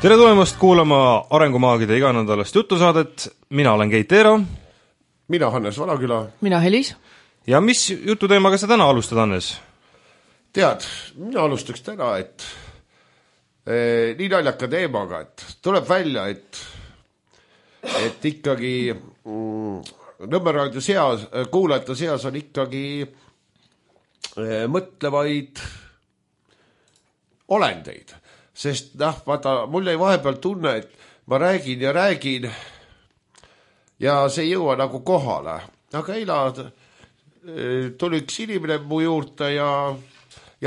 Tere tulemast kuulama Arengumaagide iganädalast jutusaadet. Mina olen Keit Eero. Mina Hannes Valaküla. Mina Helis. Ja mis jututeemaga sa täna alustad, Hannes? Tead, mina alustaks täna, et nii naljaka teemaga, et tuleb välja, et ikkagi Nõmme raadio seas, kuulajate seas on ikkagi mõtlevaid olendeid. Sest vaata, mul jäi vahepeal tunne, et ma räägin ja see ei jõua nagu kohale. Aga eila tuli üks inimene mu juurde ja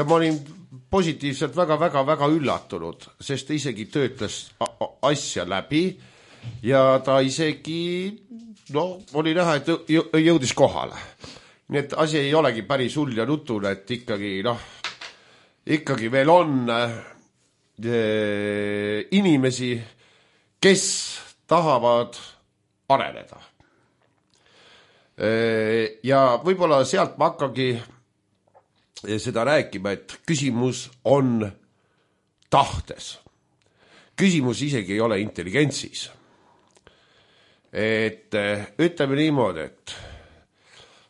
ma olin positiivselt väga üllatunud, sest ta isegi töötles asja läbi ja ta isegi, oli näha, et jõudis kohale. Nii et asi ei olegi päris hull ja nutune, et ikkagi veel on inimesi, kes tahavad areneda. Ja võib-olla sealt ma hakkagi seda rääkima, et küsimus on tahtes. Küsimus isegi ei ole intelligentsis. Et ütleme niimoodi, et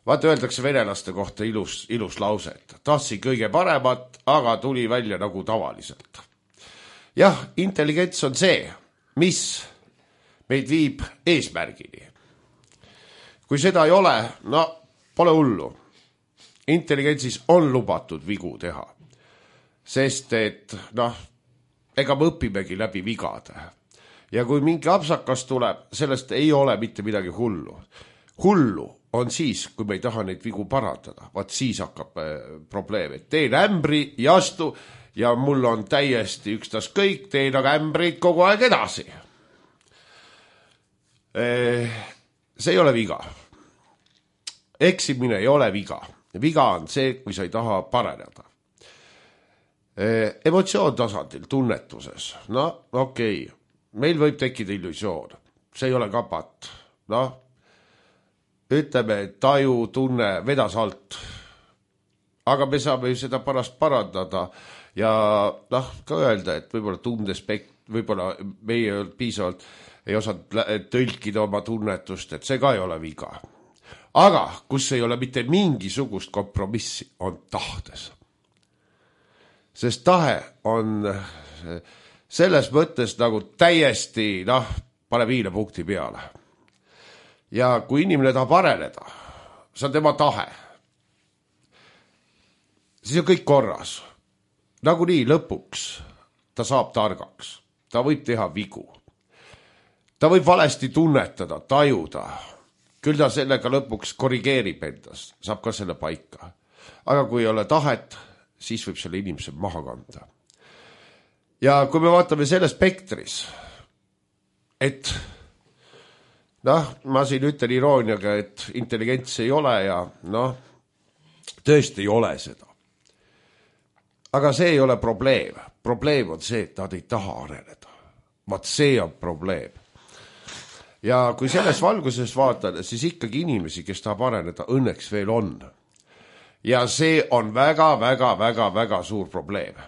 vaata, öeldakse venelaste kohta ilus lause, et tahtsin kõige paremat, aga tuli välja nagu tavaliselt. Jah, intelligents on see, mis meid viib eesmärgini. Kui seda ei ole, pole hullu. Intelligentsis on lubatud vigu teha. Sest et, ega me õpimegi läbi vigade. Ja kui mingi apsakas tuleb, sellest ei ole mitte midagi hullu. Hullu on siis, kui me ei taha neid vigu parandada. Vaat siis hakkab probleem. Et teen ämbri ja astu ja mul on täiesti ükstas kõik, teen aga ämbrid kogu aeg edasi. See ei ole viga. Eksimine ei ole viga. Viga on see, kui sa ei taha paraneda. Emotsioon tasandil, tunnetuses. Okei. Meil võib tekkida illusioon. See ei ole ka patt. Ütleme, taju, tunne, vedas alt. Aga me saame seda pärast parandada ja ka öelda, et võib-olla tundespekt, võib-olla meie piisavalt ei osanud tõlkida oma tunnetust, et see ka ei ole viga. Aga kus ei ole mitte mingisugust kompromissi, on tahtes. Sest tahe on selles mõttes nagu täiesti, pane viile punkti peale. Ja kui inimene tahab areneda, see on tema tahe. Siis on kõik korras. Nagu nii lõpuks ta saab targaks. Ta võib teha vigu. Ta võib valesti tunnetada, tajuda. Küll ta sellega lõpuks korrigeerib endast. Saab ka selle paika. Aga kui ei ole tahet, siis võib selle inimese maha kanda. Ja kui me vaatame selle spektris, et ma siin ütlen irooniaga, et intelligents ei ole ja tõesti ei ole seda. Aga see ei ole probleem. Probleem on see, et nad ei taha areneda. Vaat see on probleem. Ja kui selles valguses vaatame, siis ikkagi inimesi, kes tahab areneda, õnneks veel on. Ja see on väga suur probleem.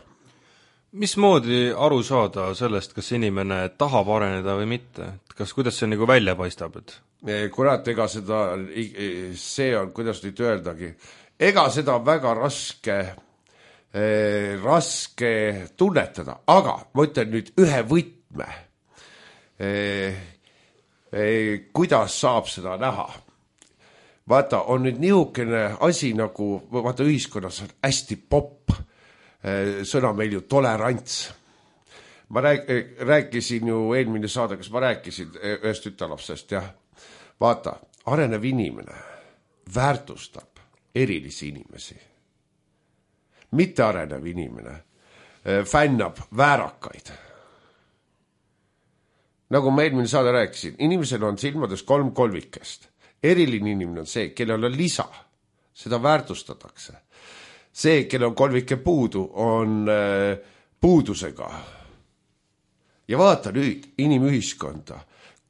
Mismoodi aru saada sellest, kas inimene tahab areneda või mitte? Kuidas see nagu välja paistab? Kurat, ega seda, see on, kuidas nüüd öeldagi, ega seda on väga raske tunnetada, aga ma ütlen nüüd ühe võtme, kuidas saab seda näha. Vaata, on nüüd niisugune asi nagu, vaata ühiskonnas on hästi popp sõna meil ju tolerants. Ma rääkisin ju eelmine saade, kas ma rääkisin ühest tütarlapsest, jah. Vaata, arenev inimene väärtustab erilisi inimesi. Mitte arenev inimene fännab väärakaid. Nagu ma eelmine saade rääkisin, inimesel on silmades 3 kolmikest. Eriline inimene on see, kellel on lisa. Seda väärtustatakse. See, kellel on kolmike puudu, on puudusega. Ja vaata nüüd inimühiskonda.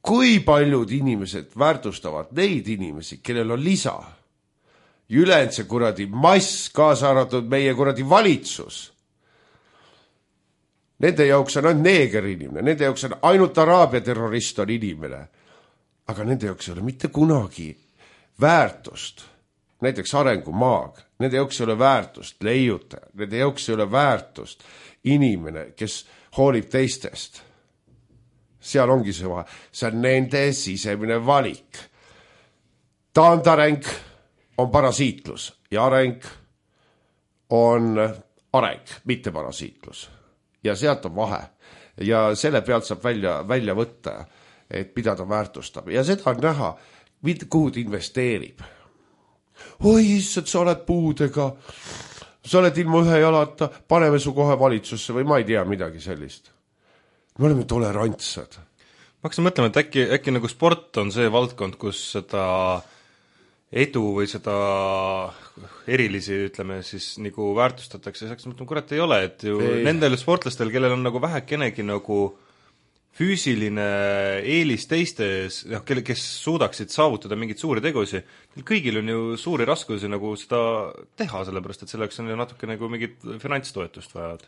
Kui paljud inimesed väärtustavad neid inimesi, kellel on lisa. Ülejäänud see kuradi mass, kaasa arvatud meie kuradi valitsus. Nende jaoks on ainult neeger inimene, nende jaoks on ainult Araabia terrorist on inimene. Aga nende jaoks ei ole mitte kunagi väärtust, näiteks arengumaag, nende jaoks ei ole väärtust leiutaja, nende jaoks ei ole väärtust inimene, kes hoolib teistest. Seal ongi see vahe, see on nende sisemine valik. Taandareng on parasiitlus ja areng on areng, mitte parasiitlus. Ja sealt on vahe. Ja selle pealt saab välja võtta, et mida ta väärtustab. Ja seda on näha, kuhu ta investeerib. Oi, issand, sa oled puudega, sa oled ilma ühe jalata, paneme su kohe valitsusse või ma ei tea midagi sellist. Me oleme tolerantsed. Ma hakkasin mõtlema, et äkki nagu sport on see valdkond, kus seda edu või seda erilisi, ütleme siis, nagu väärtustatakse, ja hakkasin mõtlema, kurat ei ole, et ju nendel sportlastel, kellel on nagu vähekenegi nagu füüsiline eelis teistes, kes suudaksid saavutada mingeid suuri tegusi, kõigil on ju suuri raskusi nagu seda teha, sellepärast et selleks on ju natuke nagu mingit finantstoetust vajavad.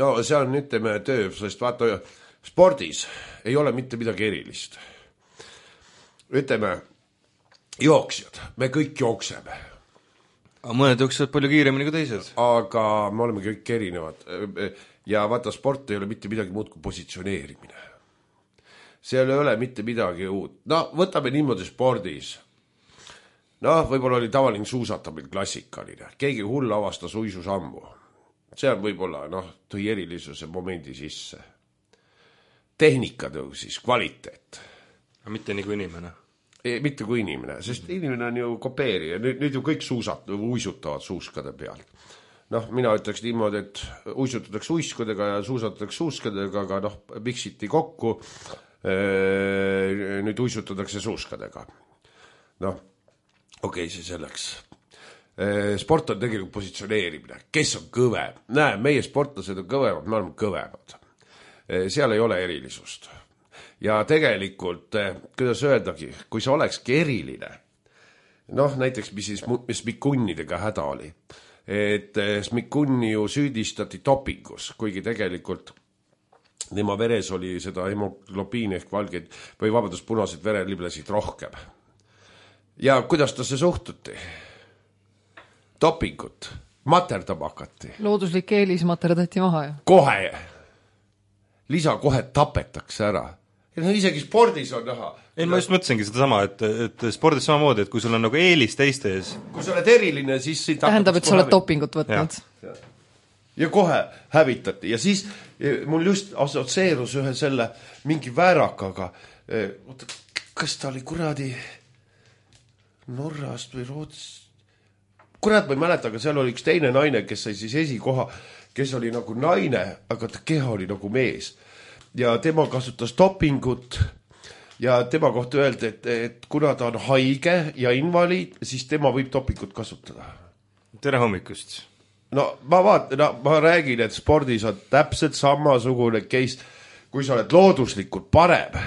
No see on, ütleme, töö, sest vaata, spordis ei ole mitte midagi erilist. Ütleme, jooksjad, me kõik jookseme. Mõned jooksevad palju kiiremini kui teised. Aga me oleme kõik erinevad. Ja vaata, sport ei ole mitte midagi muud kui positsioneerimine. Seal ei ole mitte midagi uut. No, võtame niimoodi spordis. No, võib-olla oli tavaline suusatamine klassikaline. Keegi hull avastas uisusammu. See on võib-olla, tõi erilisuse momendi sisse. Tehnika tõusis, kvaliteet. Mitte nii kui inimene. Mitte kui inimene, sest inimene on ju kopeerija. Nüüd ju kõik uisutavad suuskade peal. Mina ütleks niimoodi, et uisutatakse uiskudega ja suusatatakse suuskadega, aga miksiti kokku, nüüd uisutatakse suuskadega. Okei, see selleks. Sport on tegelikult positsioneerimine. Kes on kõvem? Näe, meie sportlased on kõvemad, me oleme kõvemad. Seal ei ole erilisust. Ja tegelikult, kuidas öeldagi, kui sa olekski eriline, näiteks mis Smikunnidega häda oli, et Smikunni ju süüdistati dopingus, kuigi tegelikult tema veres oli seda hemoglobiini ehk valgeid või punaseid vereliblesid rohkem. Ja kuidas ta see suhtuti? Dopingut, materdama hakati. Looduslik eelis materdati maha ju. Kohe, lisa kohe tapetakse ära. Ja isegi spordis on näha. Ei, ma just mõtlesingi seda sama, et spordis samamoodi, et kui sul on nagu eelis teistes. Kui sa oled eriline, siis tähendab, et sa oled dopingut võtnud. Ja kohe hävitati. Ja siis mul just assotsieerus ühe selle mingi väärakaga. Kas ta oli kuradi Norrast või Rootsist? Kurat, ma ei mäleta, aga seal oli üks teine naine, kes sai siis esikoha, kes oli nagu naine, aga ta keha oli nagu mees. Ja tema kasutas dopingut ja tema kohta öeldi, et kuna ta on haige ja invaliid, siis tema võib dopingut kasutada. Tere hommikust. Ma räägin, et spordis on täpselt samasugune case. Kui sa oled looduslikult parem,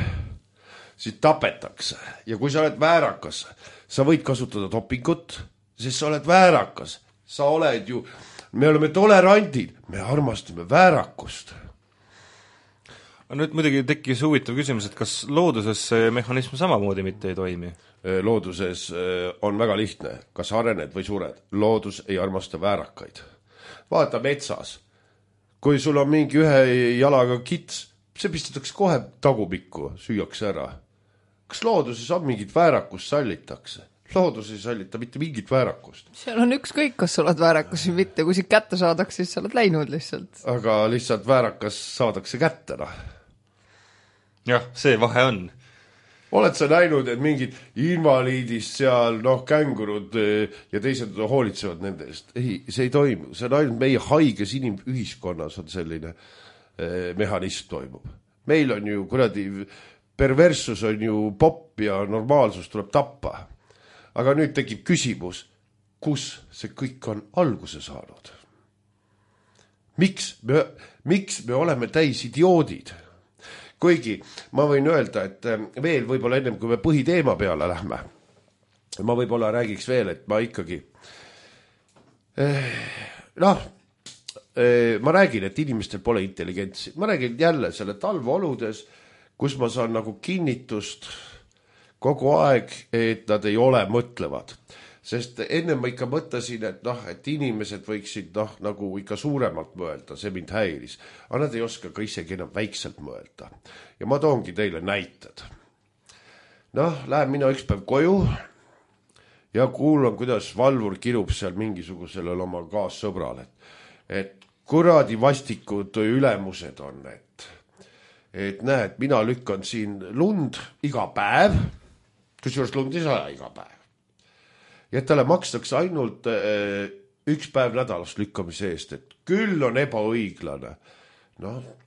siis tapetakse. Ja kui sa oled väärakas, sa võid kasutada dopingut, sest sa oled väärakas. Sa oled ju, me oleme tolerandid, me armastame väärakust. Nüüd muidugi tekkis huvitav küsimus, et kas looduses see mehhanism samamoodi mitte ei toimi? Looduses on väga lihtne, kas arened või sured. Loodus ei armasta väärakaid. Vaata metsas. Kui sul on mingi ühe jalaga kits, see pistatakse kohe tagumikku, süüakse ära. Kas looduses on mingit väärakust sallitakse? Loodus ei sallita mitte mingit väärakust. Seal on ükskõik, kas sa oled väärakas või mitte. Kui see kätte saadaks, siis sa oled läinud lihtsalt. Aga lihtsalt väärakas saadakse kätte. Jah, see vahe on. Oled sa näinud, et mingid invaliidist seal, kängurud ja teised hoolitsevad nende eest? Ei, see ei toimu. See on ainult meie haiges inimühiskonnas on selline mehhanism toimub. Meil on ju kuradi perversus on ju popp ja normaalsus tuleb tappa. Aga nüüd tekib küsimus, kus see kõik on alguse saanud? Miks me oleme täis idioodid? Kuigi ma võin öelda, et veel võib-olla ennem, kui me põhiteema peale lähme, ma võib-olla räägiks veel, et ma ikkagi ma räägin, et inimestel pole intelligentsi. Ma räägin jälle selle talveoludes, kus ma saan nagu kinnitust kogu aeg, et nad ei ole mõtlevad. Sest enne ma ikka mõtlesin, et inimesed võiksid nagu ikka suuremalt mõelda, see mind häiris. Aga nad ei oska ka isegi enam väikselt mõelda. Ja ma toongi teile näited. Lähen mina üks päev koju ja kuulan, kuidas valvur kirub seal mingisugusele oma kaassõbrale. Et kuradi vastikud ülemused on, et näed, mina lükkan siin lund iga päev, kusjuures lund ei saa iga päev. Ja talle makstakse ainult üks päev nädalas lükkamise eest, et küll on ebaõiglane.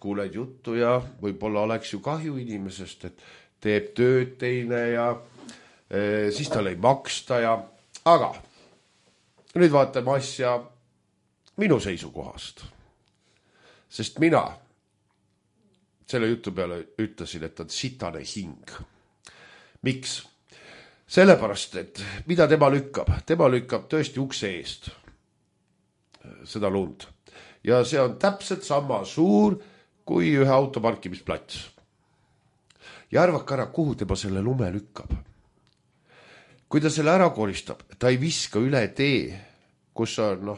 Kuuled juttu ja võib-olla oleks ju kahju inimesest, et teeb tööd teine ja siis tal ei maksta ja... Aga nüüd vaatame asja minu seisukohast. Sest mina selle jutu peale ütlesin, et on sitane hing. Miks? Sellepärast, et mida tema lükkab? Tema lükkab tõesti ukse eest seda lund. Ja see on täpselt sama suur kui ühe autoparkimisplats. Ja arvake ära, kuhu tema selle lume lükkab. Kui ta selle ära koristab, ta ei viska üle tee, kus on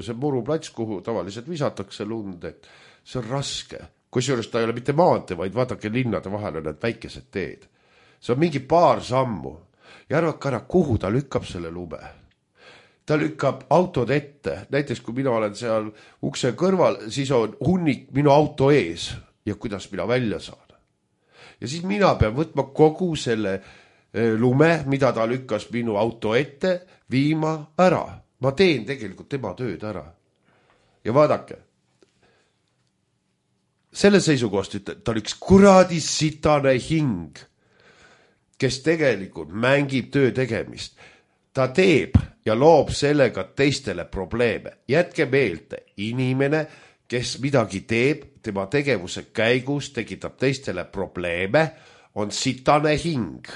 see muruplats, kuhu tavaliselt visatakse lund, et see on raske. Kusjuures ta ei ole mitte maante, vaid vaadake linnade vahele need väikesed teed. See on mingi paar sammu. Ja arvake ära, kuhu ta lükkab selle lume. Ta lükkab autod ette. Näiteks, kui mina olen seal ukse kõrval, siis on hunnik minu auto ees ja kuidas mina välja saan. Ja siis mina pean võtma kogu selle lume, mida ta lükkas minu auto ette, viima ära. Ma teen tegelikult tema tööd ära. Ja vaadake, selle seisukohast ütleb, ta on üks kuradi sitane hing, kes tegelikult mängib töö tegemist. Ta teeb ja loob sellega teistele probleeme. Jätke meelde, inimene, kes midagi teeb, tema tegevuse käigus tekitab teistele probleeme, on sitane hing.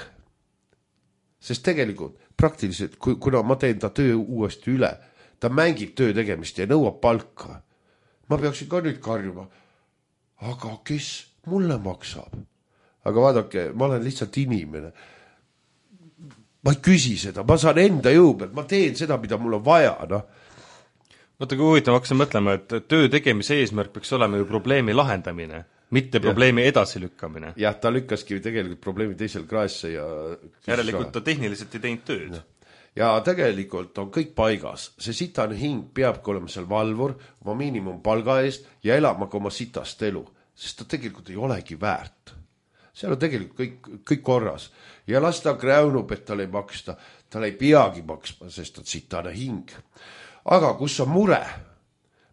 Sest tegelikult praktiliselt, kuna ma teen ta töö uuesti üle, ta mängib töö tegemist ja nõuab palka. Ma peaksin ka nüüd karjuma. Aga kes mulle maksab? Aga vaadake, ma olen lihtsalt inimene. Ma ei küsi seda, ma saan enda jõu pealt, ma teen seda, mida mul on vaja. Vaata, kui huvitav, ma hakkasin mõtlema, et töö tegemise eesmärk peaks olema ju probleemi lahendamine, mitte probleemi edasilükkamine. Jah, ta lükkaski tegelikult probleemi teisel kraesse ja... Järelikult ta tehniliselt ei teinud tööd. Ja tegelikult on kõik paigas. See sitane hing peabki olema seal valvur, oma miinimumpalga eest ja elama ka oma sitast elu. Sest ta tegelikult ei olegi väärt. Seal on tegelikult kõik korras. Ja las ta kräunub, et tal ei maksta. Tal ei peagi maksma, sest on sitane hing. Aga kus on mure?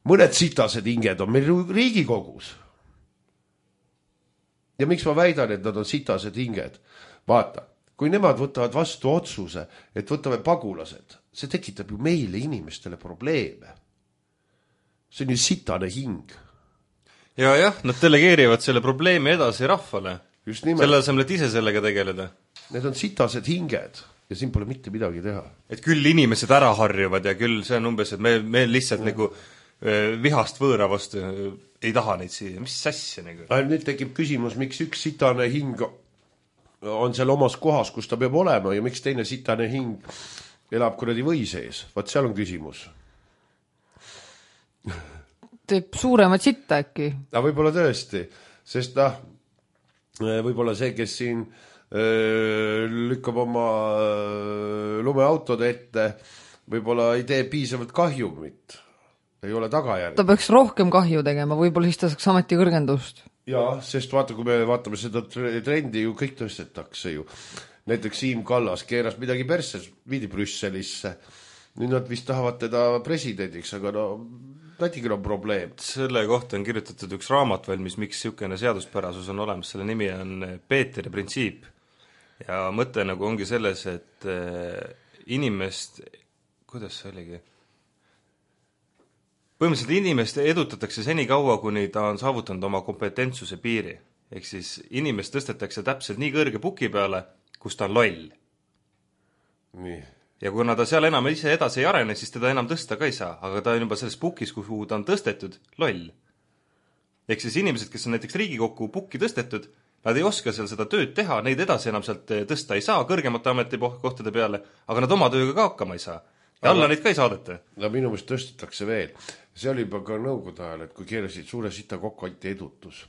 Mõned sitased hinged on meil Riigikogus. Ja miks ma väidan, et nad on sitased hinged? Vaata, kui nemad võtavad vastu otsuse, et võtame pagulased, see tekitab ju meile inimestele probleeme. See on ju sitane hing. Ja, nad delegeerivad selle probleemi edasi rahvale. Just nimelt. Selle asemel, et ise sellega tegeleda. Need on sitased hinged ja siin pole mitte midagi teha. Et küll inimesed ära harjuvad ja küll see on umbes, et me lihtsalt nagu vihast võõra vastu ei taha neid siia. Mis sassi nagu? Nüüd tekib küsimus, miks üks sitane hing on seal omas kohas, kus ta peab olema ja miks teine sitane hing elab kuradi või sees. Vaat seal on küsimus. Teeb suuremat sitta äkki? Võib-olla tõesti, sest võib-olla see, kes siin lükkab oma lumeautode ette, võib-olla ei tee piisavalt kahjumit. Ei ole tagajärg. Ta peaks rohkem kahju tegema, võib-olla siis ta saaks ameti kõrgendust. Jaa, sest vaata, kui me vaatame seda trendi, ju kõik tõstetakse ju. Näiteks Siim Kallas keeras midagi perses, viidi Brüsselisse. Nüüd nad vist tahavad teda presidendiks, aga natigil on probleem. Selle kohta on kirjutatud üks raamat valmis, miks niisugune seaduspärasus on olemas. Selle nimi on Peeteri printsiip. Ja mõte nagu ongi selles, et inimest, kuidas see oligi? Põhimõtteliselt inimest edutatakse seni kaua, kuni ta on saavutanud oma kompetentsuse piiri. Ehk siis inimest tõstetakse täpselt nii kõrge puki peale, kus ta on loll. Nii. ja kuna ta seal enam ise edasi ei arene, siis teda enam tõsta ka ei saa, aga ta on juba selles pukis, kuhu ta on tõstetud, loll. Ehk siis inimesed, kes on näiteks Riigikokku pukki tõstetud, nad ei oska seal seda tööd teha, neid edasi enam sealt tõsta ei saa kõrgemate ametikohtade peale, aga nad oma tööga ka hakkama ei saa. Ja alla neid ka ei saadeta. No minu meelest tõstetakse veel. See oli juba ka nõukogude ajal, et kui keerasid suure sita kokku, anti edutus.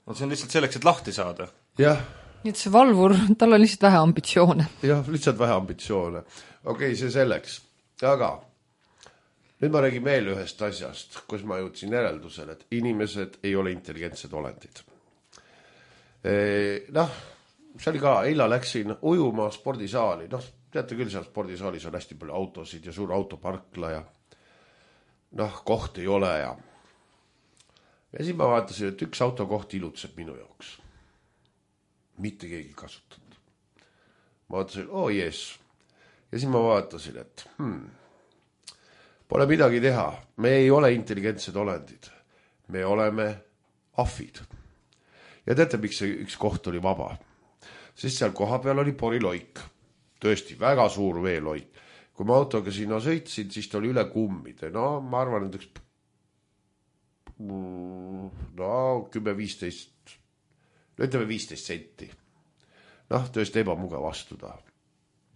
No see on lihtsalt selleks, et lahti saada. Jah. Nii et see valvur, tal on lihtsalt vähe ambitsioone. Jah, lihtsalt vähe ambitsioone. Okei, see selleks. Aga nüüd ma räägin veel ühest asjast, kus ma jõudsin järeldusele, et inimesed ei ole intelligentsed olendid. Noh, see oli ka, eila läksin ujuma spordisaali. Noh, teate küll, seal spordisaalis on hästi palju autosid ja suur autoparkla ja noh, koht ei ole ja siis ma vaatasin, et üks autokoht ilutseb minu jaoks. Mitte keegi kasutatud. Ma vaatasin, jees. Ja siis ma vaatasin, et pole midagi teha. Me ei ole intelligentsed olendid. Me oleme ahvid. Ja teate, miks see üks koht oli vaba? Sest seal koha peal oli poriloik. Tõesti, väga suur veeloik. Kui ma autoga sinna sõitsin, siis ta oli üle kummide. No, ma arvan, et üks 10-15, ütleme 15 senti. Noh, tõesti ebamugav astuda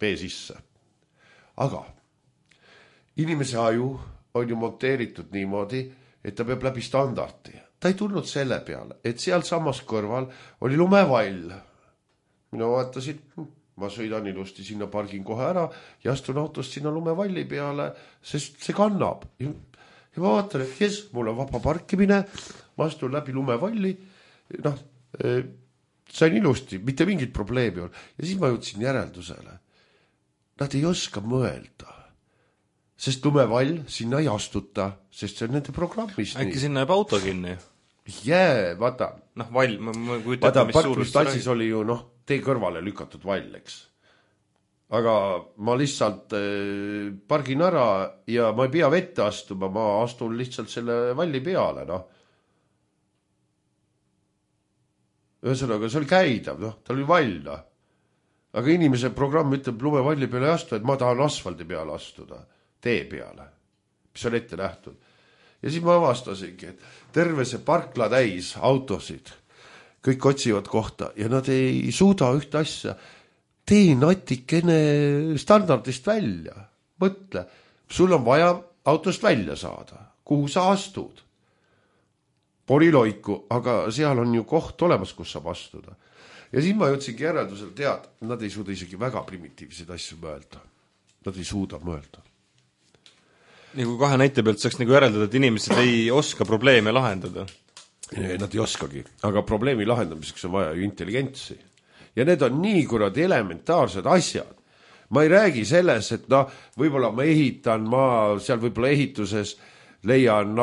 vee sisse. Aga inimese aju on ju monteeritud niimoodi, et ta peab läbi standardi. Ta ei tulnud selle peale, et seal samas kõrval oli lumevall. Mina vaatasin, ma sõidan ilusti sinna, pargin kohe ära ja astun autost sinna lumevalli peale, sest see kannab. Ja ma vaatan, et mul on vaba parkimine, ma astun läbi lumevalli, noh, sain ilusti, mitte mingit probleemi on. Ja siis ma jõudsin järeldusele. Nad ei oska mõelda, sest lumevall sinna ei astuta, sest see on nende programmis. Äkki sinna jääb auto kinni? Vaata. Noh, vall, vaata, parkimisplatsis oli ju, tee kõrvale lükatud vall, eks. Aga ma lihtsalt pargin ära ja ma ei pea vette astuma, ma astun lihtsalt selle valli peale, Ühesõnaga, see oli käidav, ta oli vall, Aga inimese programm ütleb lumevalli peale ei astu, et ma tahan asfaldi peale astuda, tee peale, mis on ette nähtud. Ja siis ma avastasingi, et terve see parkla täis autosid, kõik otsivad kohta ja nad ei suuda ühte asja. Tee natikene standardist välja. Mõtle, sul on vaja autost välja saada. Kuhu sa astud? Poriloiku, aga seal on ju koht olemas, kus saab astuda. Ja siis ma jõudsingi järeldusel teada, nad ei suuda isegi väga primitiivseid asju mõelda. Nad ei suuda mõelda. Nii kui kahe näite pealt saaks nagu järeldada, et inimesed ei oska probleeme lahendada. Nad ei oskagi, aga probleemi lahendamiseks on vaja ju intelligentsi. Ja need on nii kuradi elementaarsed asjad. Ma ei räägi selles, et võib-olla ma ehitan, ma seal võib-olla ehituses leian,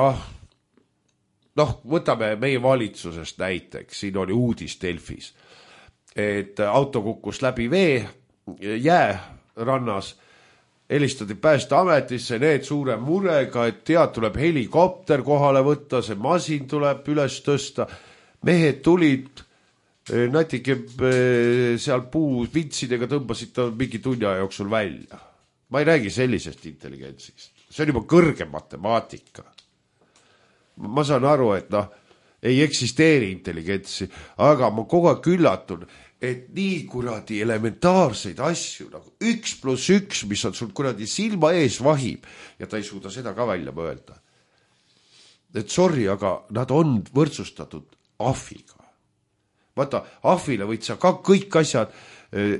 võtame meie valitsusest näiteks, siin oli uudis Delfis, et auto kukkus läbi vee, jää rannas, helistati Päästeametisse, need suure murega, et tuleb helikopter kohale võtta, see masin tuleb üles tõsta. Mehed tulid, natuke seal puu vintsidega tõmbasid ta mingi tunni aja jooksul välja. Ma ei räägi sellisest intelligentsist. See on juba kõrge matemaatika. Ma saan aru, et ei eksisteeri intelligentsi, aga ma kogu aeg üllatun, et nii kuradi elementaarseid asju, nagu 1+1, mis on sul kuradi silma ees vahib, ja ta ei suuda seda ka välja mõelda. Et sorry, aga nad on võrdsustatud ahviga. Vaata, ahvile võid sa ka kõik asjad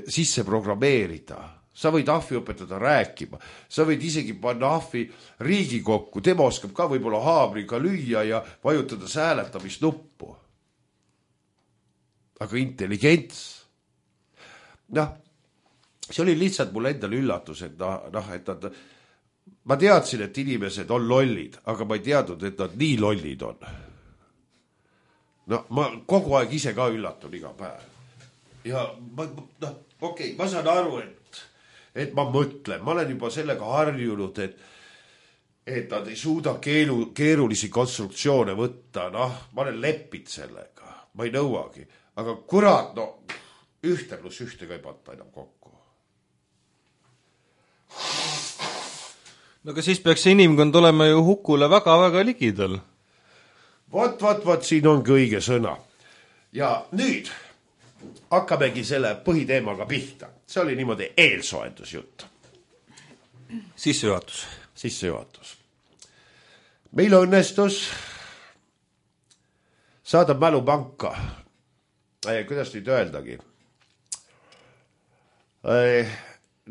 sisse programmeerida. Sa võid ahvi õpetada rääkima. Sa võid isegi panna ahvi Riigikokku. Tema oskab ka võib-olla haamriga lüüa ja vajutada sääletamisnuppu. Aga intelligents. See oli lihtsalt mul endal üllatus, et ma teadsin, et inimesed on lollid, aga ma ei teadnud, et nad nii lollid on. Ma kogu aeg ise ka üllatun iga päev. Ja ma saan aru, et ma mõtlen, ma olen juba sellega harjunud, et nad ei suuda keerulisi konstruktsioone võtta, ma olen leppid sellega, ma ei nõuagi, aga kurat, 1+1 ka ei panta enam kokku. no aga siis peaks see inimkond olema ju hukule väga-väga ligidal. Vot, siin ongi õige sõna. Ja nüüd hakkamegi selle põhiteemaga pihta. See oli niimoodi eelsoendusjutt. Sissejuhatus. Meil õnnestus saada mälupanka. Kuidas nüüd öeldagi?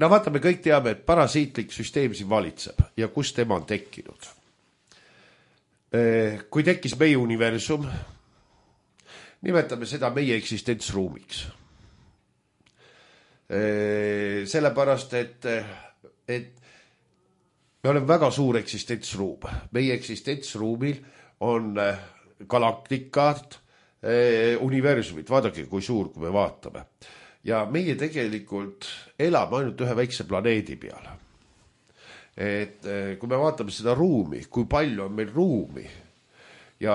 No vaata, me kõik teame, et parasiitlik süsteem siin valitseb ja kus tema on tekkinud. Kui tekkis meie universum, nimetame seda meie eksistentsruumiks. Sellepärast, et me oleme väga suur eksistentsruum. Meie eksistentsruumil on galaktikad, universumid, vaadake, kui suur, kui me vaatame. Ja meie tegelikult elame ainult ühe väikse planeedi peal. Et kui me vaatame seda ruumi, kui palju on meil ruumi ja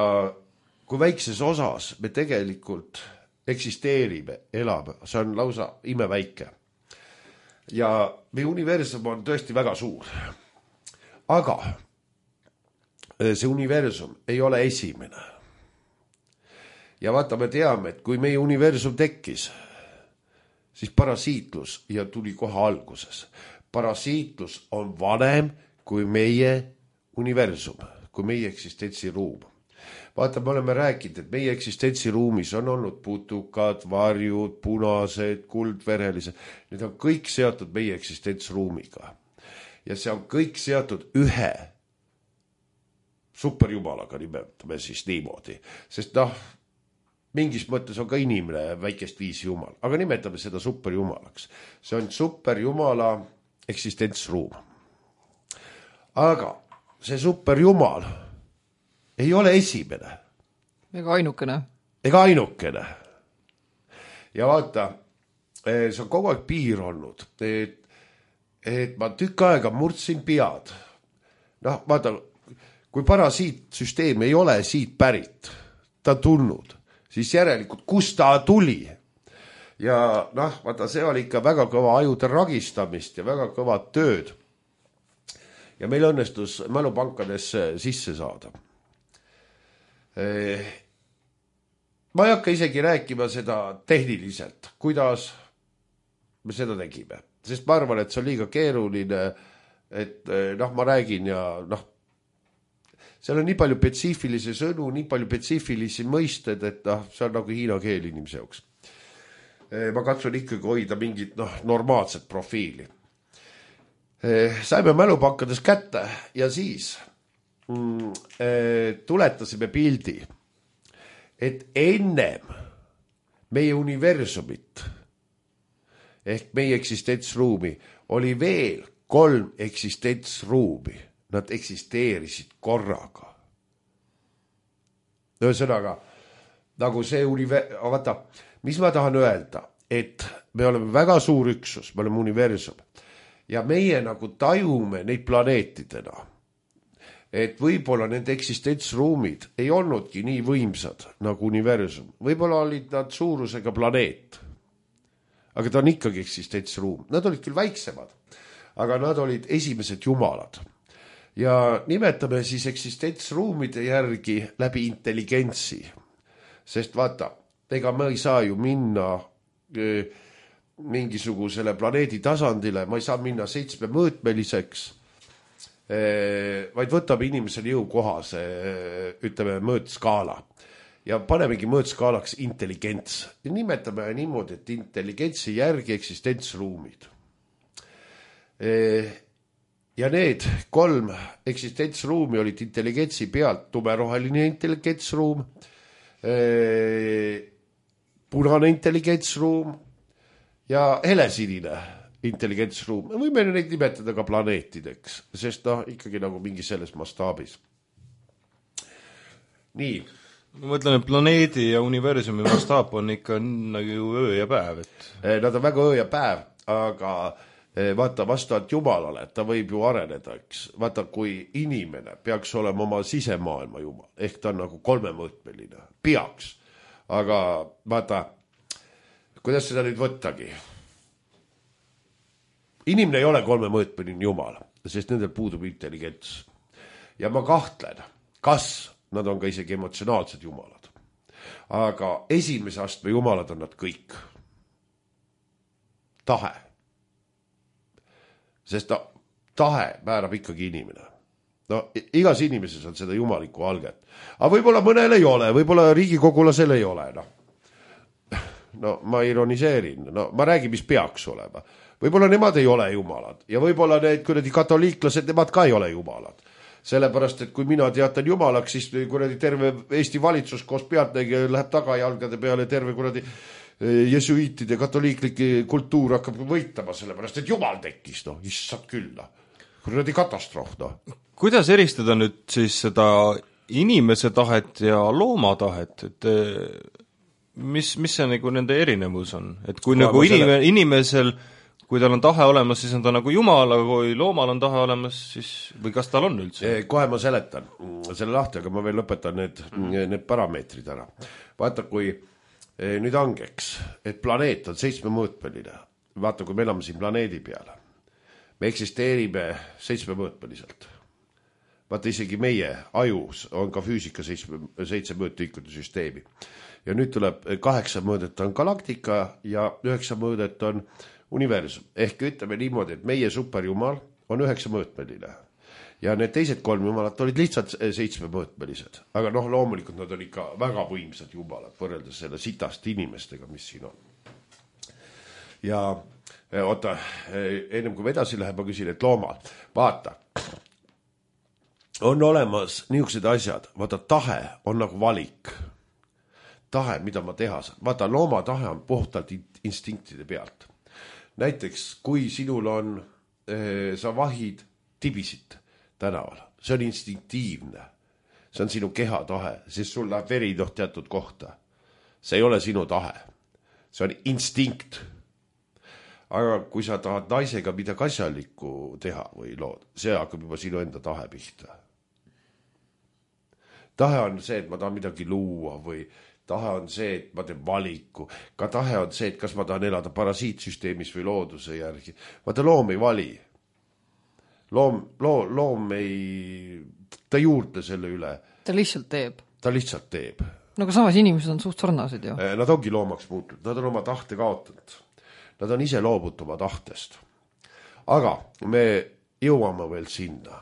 kui väikses osas me tegelikult eksisteerime, elame, see on lausa imeväike. Ja meie universum on tõesti väga suur. Aga see universum ei ole esimene. Ja vaata, me teame, et kui meie universum tekkis, siis parasiitlus ja tuli kohe alguses. Parasiitlus on vanem kui meie universum, kui meie eksistentsiruum. Vaata, me oleme rääkinud, et meie eksistentsiruumis on olnud putukad, varjud, punased, kuldverelised. Need on kõik seotud meie eksistentsruumiga. Ja see on kõik seotud ühe superjumalaga, nimetame siis niimoodi. Sest mingis mõttes on ka inimene väikest viisi jumal, aga nimetame seda superjumalaks. See on superjumala eksistentsruum. Aga see superjumal ei ole esimene. Ega ainukene. Ja vaata, see on kogu aeg piir olnud, et ma tükk aega murdsin pead. Vaata, kui parasiitsüsteem ei ole siit pärit, ta tulnud, siis järelikult, kus ta tuli. Ja vaata, see oli ikka väga kõva ajude ragistamist ja väga kõva tööd. Ja meil õnnestus mälupankadesse sisse saada. Ma ei hakka isegi rääkima seda tehniliselt, kuidas me seda tegime. Sest ma arvan, et see on liiga keeruline, et ma räägin ja seal on nii palju spetsiifilisi sõnu, nii palju spetsiifilisi mõisted, et see on nagu hiina keel inimese jaoks. Ma katsun ikkagi hoida mingit normaalset profiili. Saime mälupankades kätte ja siis tuletasime pildi, et ennem meie universumit ehk meie eksistentsruumi oli veel 3 eksistentsruumi. Nad eksisteerisid korraga. Ühesõnaga, nagu see vaata, mis ma tahan öelda, et me oleme väga suur üksus, me oleme universum ja meie nagu tajume neid planeetidena, et võib-olla nende eksistentsruumid ei olnudki nii võimsad nagu universum. Võib-olla olid nad suurusega planeet, aga ta on ikkagi eksistentsruum. Nad olid küll väiksemad, aga nad olid esimesed jumalad. Ja nimetame siis eksistentsruumide järgi läbi intelligentsi. Sest vaata, ega me ei saa ju minna mingisugusele planeedi tasandile, ma ei saa minna 7-mõõtmeliseks, vaid võtame inimesele jõukohase, ütleme, mõõtskaala. Ja panemegi mõõtskaalaks intelligents. Ja nimetame niimoodi, et intelligentsi järgi eksistentsruumid. Ja need 3 eksistentsruumi olid intelligentsi pealt tumeroheline intelligentsruum, punane intelligentsruum ja helesinine intelligentsruum. Me võime neid nimetada ka planeetideks, sest ikkagi nagu mingi selles mastaabis. Nii. Ma mõtlen, et planeedi ja universumi mastaap on ikka nagu öö ja päev. Nad on väga öö ja päev, aga vaata, vastavalt jumalale, ta võib ju areneda, eks. Vaata, kui inimene peaks olema oma sisemaailma jumal, ehk ta on nagu 3-mõõtmeline, peaks. Aga vaata, kuidas seda nüüd võttagi? Inimene ei ole 3-mõõtmeline jumal. sest nendel puudub intelligents. Ja ma kahtlen, kas nad on ka isegi emotsionaalsed jumalad. Aga esimese astme jumalad on nad kõik. Tahe. Sest tahe määrab ikkagi inimene. No igas inimeses on seda jumalikku alget. Aga võib-olla mõnel ei ole, võib-olla riigikogulasel ei ole. No ma ironiseerin, no ma räägin, mis peaks olema. Võib-olla nemad ei ole jumalad ja võib-olla need kuradi katoliiklased, nemad ka ei ole jumalad. Sellepärast, et kui mina teatan jumalaks, siis kuradi terve Eesti valitsus koos pealtnägija läheb tagajalgade peale, terve kuradi jesuiitide katoliiklike kultuur hakkab võitama, sellepärast, et jumal tekkis, no, issad küll, no. Kuradi katastroof, no. Kuidas eristada nüüd siis seda inimese tahet ja looma tahet, et mis see nagu nende erinevus on? Et kui nagu inimesel, kui tal on tahe olemas, siis on ta nagu jumal, aga kui loomal on tahe olemas, siis, või kas tal on üldse? Kohe ma seletan selle lahti, aga ma veel lõpetan need parameetrid ära. Vaata, kui nüüd angeks, et planeet on 7-mõõtmeline. Vaata, kui me elame siin planeedi peale. Me eksisteerime 7-mõõtmeliselt. Vaata, isegi meie ajus on ka füüsika 7-mõõtliikude süsteemi. Ja nüüd tuleb 8 mõõdet on galaktika ja 9 mõõdet on universum. Ehk ütleme niimoodi, et meie superjumal on 9-mõõtmeline. Ja need teised 3 jumalat olid lihtsalt 7-mõõtmelised. Aga noh, loomulikult nad on ikka väga võimsad jumalad võrreldes selle sitast inimestega, mis siin on. Ja oota, ennem kui me edasi läheb, ma küsin, et loomal, vaata, on olemas niisugused asjad, vaata, tahe on nagu valik. Tahe, mida ma teha saan. Vaata, looma tahe on puhtalt instinktide pealt. Näiteks, kui sinul on, sa vahid tibisid tänaval, see on instinktiivne. See on sinu keha tahe, sest sul läheb veri teatud kohta. See ei ole sinu tahe. See on instinkt. Aga kui sa tahad naisega midagi asjalikku teha või lood, see hakkab juba sinu enda tahe pihta. Tahe on see, et ma tahan midagi luua või tahe on see, et ma teen valiku. Ka tahe on see, et kas ma tahan elada parasiitsüsteemis või looduse järgi. Vaata, loom ei vali. Loom ei, ta ei juurtle selle üle. Ta lihtsalt teeb. Ta lihtsalt teeb. No aga samas inimesed on suht sarnased ju. Nad ongi loomaks muutunud. Nad on oma tahte kaotanud. Nad on ise loobut oma tahtest. Aga me jõuame veel sinna.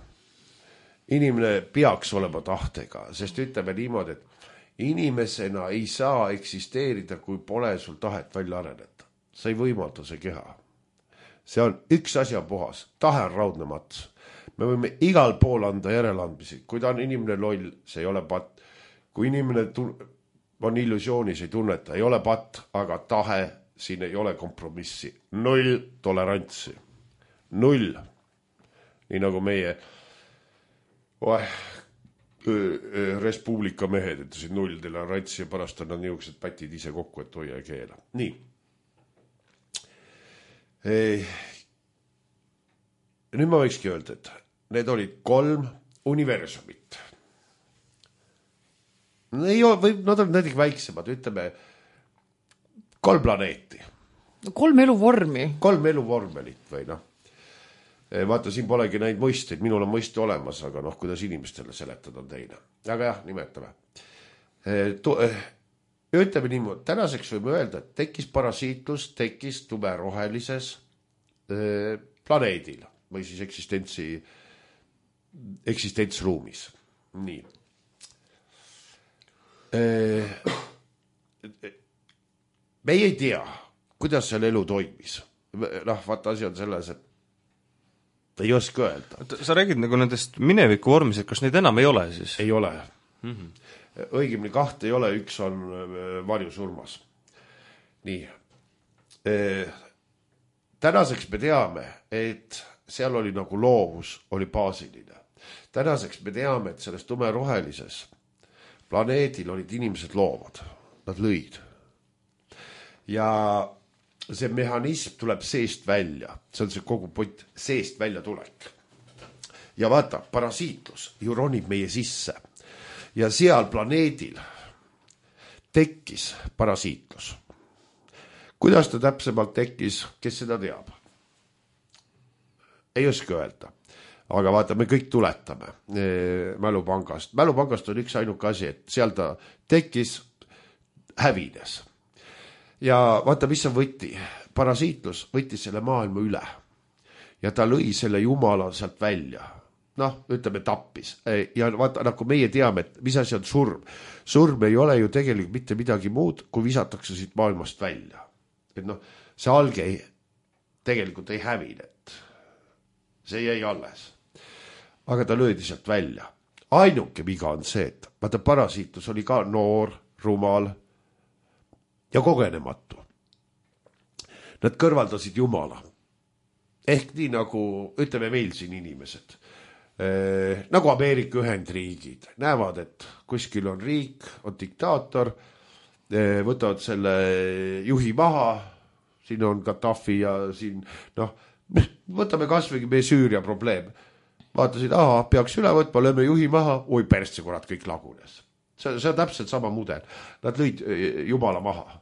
Inimene peaks olema tahtega, sest ütleme niimoodi, et inimesena ei saa eksisteerida, kui pole sul tahet välja areneda. Sa ei võimalda see keha. See on üks asja puhas. Tahe on raudne mats. Me võime igal pool anda järeleandmisi. Kui ta on inimene loll, see ei ole patt. Kui inimene on illusioonis, ei tunneta, ei ole patt, aga tahe, siin ei ole kompromissi. 0 tolerantsi. 0. Nii nagu meie Respublika mehed ütlesid 0 tolerantsi ja pärast on nad niisugused pätid ise kokku, et hoia ja keela. Nii. Nüüd ma võikski öelda, et need olid 3 universumit. Nad on näiteks väiksemad, ütleme 3 planeeti. 3 eluvormi. 3 eluvormelit või noh. Vaata, siin polegi neid mõisteid, minul on mõiste olemas, aga noh, kuidas inimestele seletada on teine. Aga jah, nimetame. Ütleme niimoodi, tänaseks võime öelda, et tekkis parasiitlus, tekkis tumerohelises planeedil või siis eksistentsruumis. Nii. Meie ei tea, kuidas seal elu toimis. Noh, vaata, asi on selles, et ei oska öelda. Sa räägid nagu nendest mineviku vormised, kas neid enam ei ole siis? Ei ole. Õigemini 2 ei ole, 1 on varjusurmas. Nii. Tänaseks me teame, et seal oli nagu loovus, oli baasiline. Tänaseks me teame, et selles tumerohelises planeedil olid inimesed loovad. Nad lõid. Ja see mehhanism tuleb seest välja. See on see kogu point, seest välja tulek. Ja vaata, parasiitlus ju ronib meie sisse. Ja seal planeedil tekkis parasiitlus. Kuidas ta täpsemalt tekkis, kes seda teab? Ei oska öelda. aga vaata, me kõik tuletame Mälupangast. Mälupangast on üks ainuke asi, et seal ta tekkis, hävines. Ja vaata, mis on võtti. Parasiitlus võttis selle maailma üle. Ja ta lõi selle jumala sealt välja. Noh, ütleme tappis. Ja vaata, nagu meie teame, et mis asi on surm. Surm ei ole ju tegelikult mitte midagi muud, kui visatakse siit maailmast välja. Et noh, see alge tegelikult ei hävinet. See jäi alles. Aga ta löödi sealt välja. Ainuke viga on see, et vaata, parasiitlus oli ka noor, rumal ja kogenematu. Nad kõrvaldasid jumala. Ehk nii nagu, ütleme meil siin inimesed, nagu Ameerika Ühendriigid, näevad, et kuskil on riik, on diktaator, võtavad selle juhi maha, siin on Gaddafi ja siin, noh, võtame kasvõi meie Süüria probleem. Vaatasid, peaks üle võtma, lööme juhi maha, oi persse, kurat, kõik lagunes. See on täpselt sama mudel. Nad lõid jumala maha.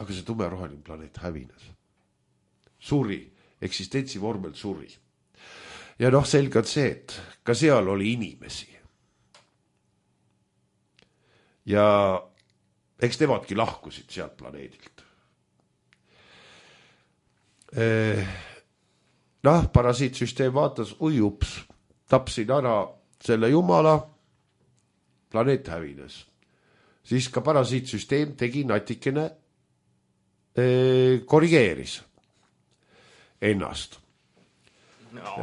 Aga see tumeroheline planeet hävines. Suri, eksistentsi vormel suri. Ja noh, selge on see, et ka seal oli inimesi. Ja eks nemadki lahkusid sealt planeedilt. Noh, parasiitsüsteem vaatas, ups, tapsin ära selle jumala, planeet hävines. Siis ka parasiitsüsteem tegi natikene, korrigeeris ennast.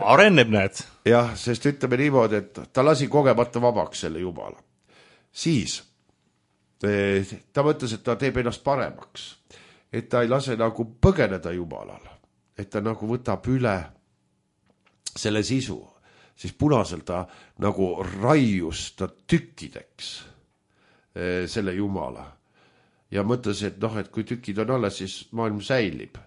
Areneb näed. Jah, sest ütleme niimoodi, et ta lasi kogemata vabaks selle jumala. Siis ta mõtles, et ta teeb ennast paremaks. Et ta ei lase nagu põgeneda jumalal. Et ta nagu võtab üle selle sisu. Siis punasel ta nagu raius ta tükkideks selle jumala. Ja mõtles, et noh, et kui tükid on alles, siis maailm säilib.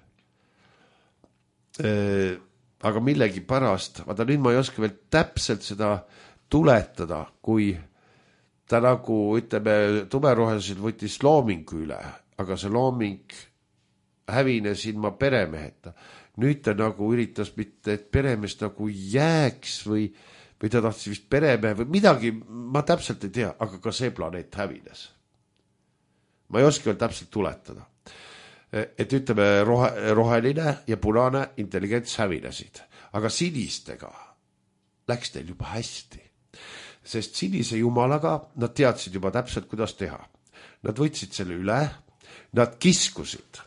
Aga millegi pärast, vaata nüüd ma ei oska veel täpselt seda tuletada, kui ta nagu, ütleme, tumeroheliselt võttis loomingu üle, aga see looming hävines ilma peremeheta. Nüüd ta nagu üritas mitte, et peremees nagu jääks või ta tahtsi vist peremehe või midagi, ma täpselt ei tea, aga ka see planeet hävines. Ma ei oska veel täpselt tuletada. Et ütleme, roheline ja punane intelligents hävinesid. Aga sinistega läks teil juba hästi. Sest sinise jumalaga nad teadsid juba täpselt, kuidas teha. Nad võtsid selle üle, nad kiskusid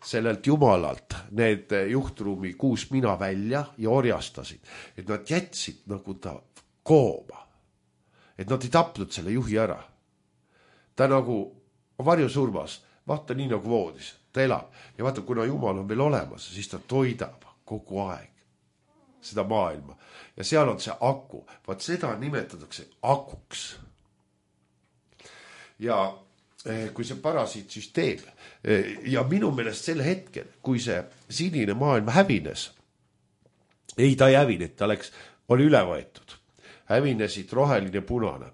sellelt jumalalt need juhtruumi 6 mina välja ja orjastasid. Et nad jätsid nagu ta kooma. Et nad ei tapnud selle juhi ära. Ta nagu varjusurmas, vaata nii nagu voodis, ta elab. Ja vaata, kuna jumal on veel olemas, siis ta toidab kogu aeg seda maailma. Ja seal on see aku. Vaat seda nimetatakse akuks. Ja kui see parasiitsüsteem ja minu meelest sel hetkel, kui see sinine maailm hävines, ei ta ei hävinud, ta oli üle võetud. Hävinesid roheline punane.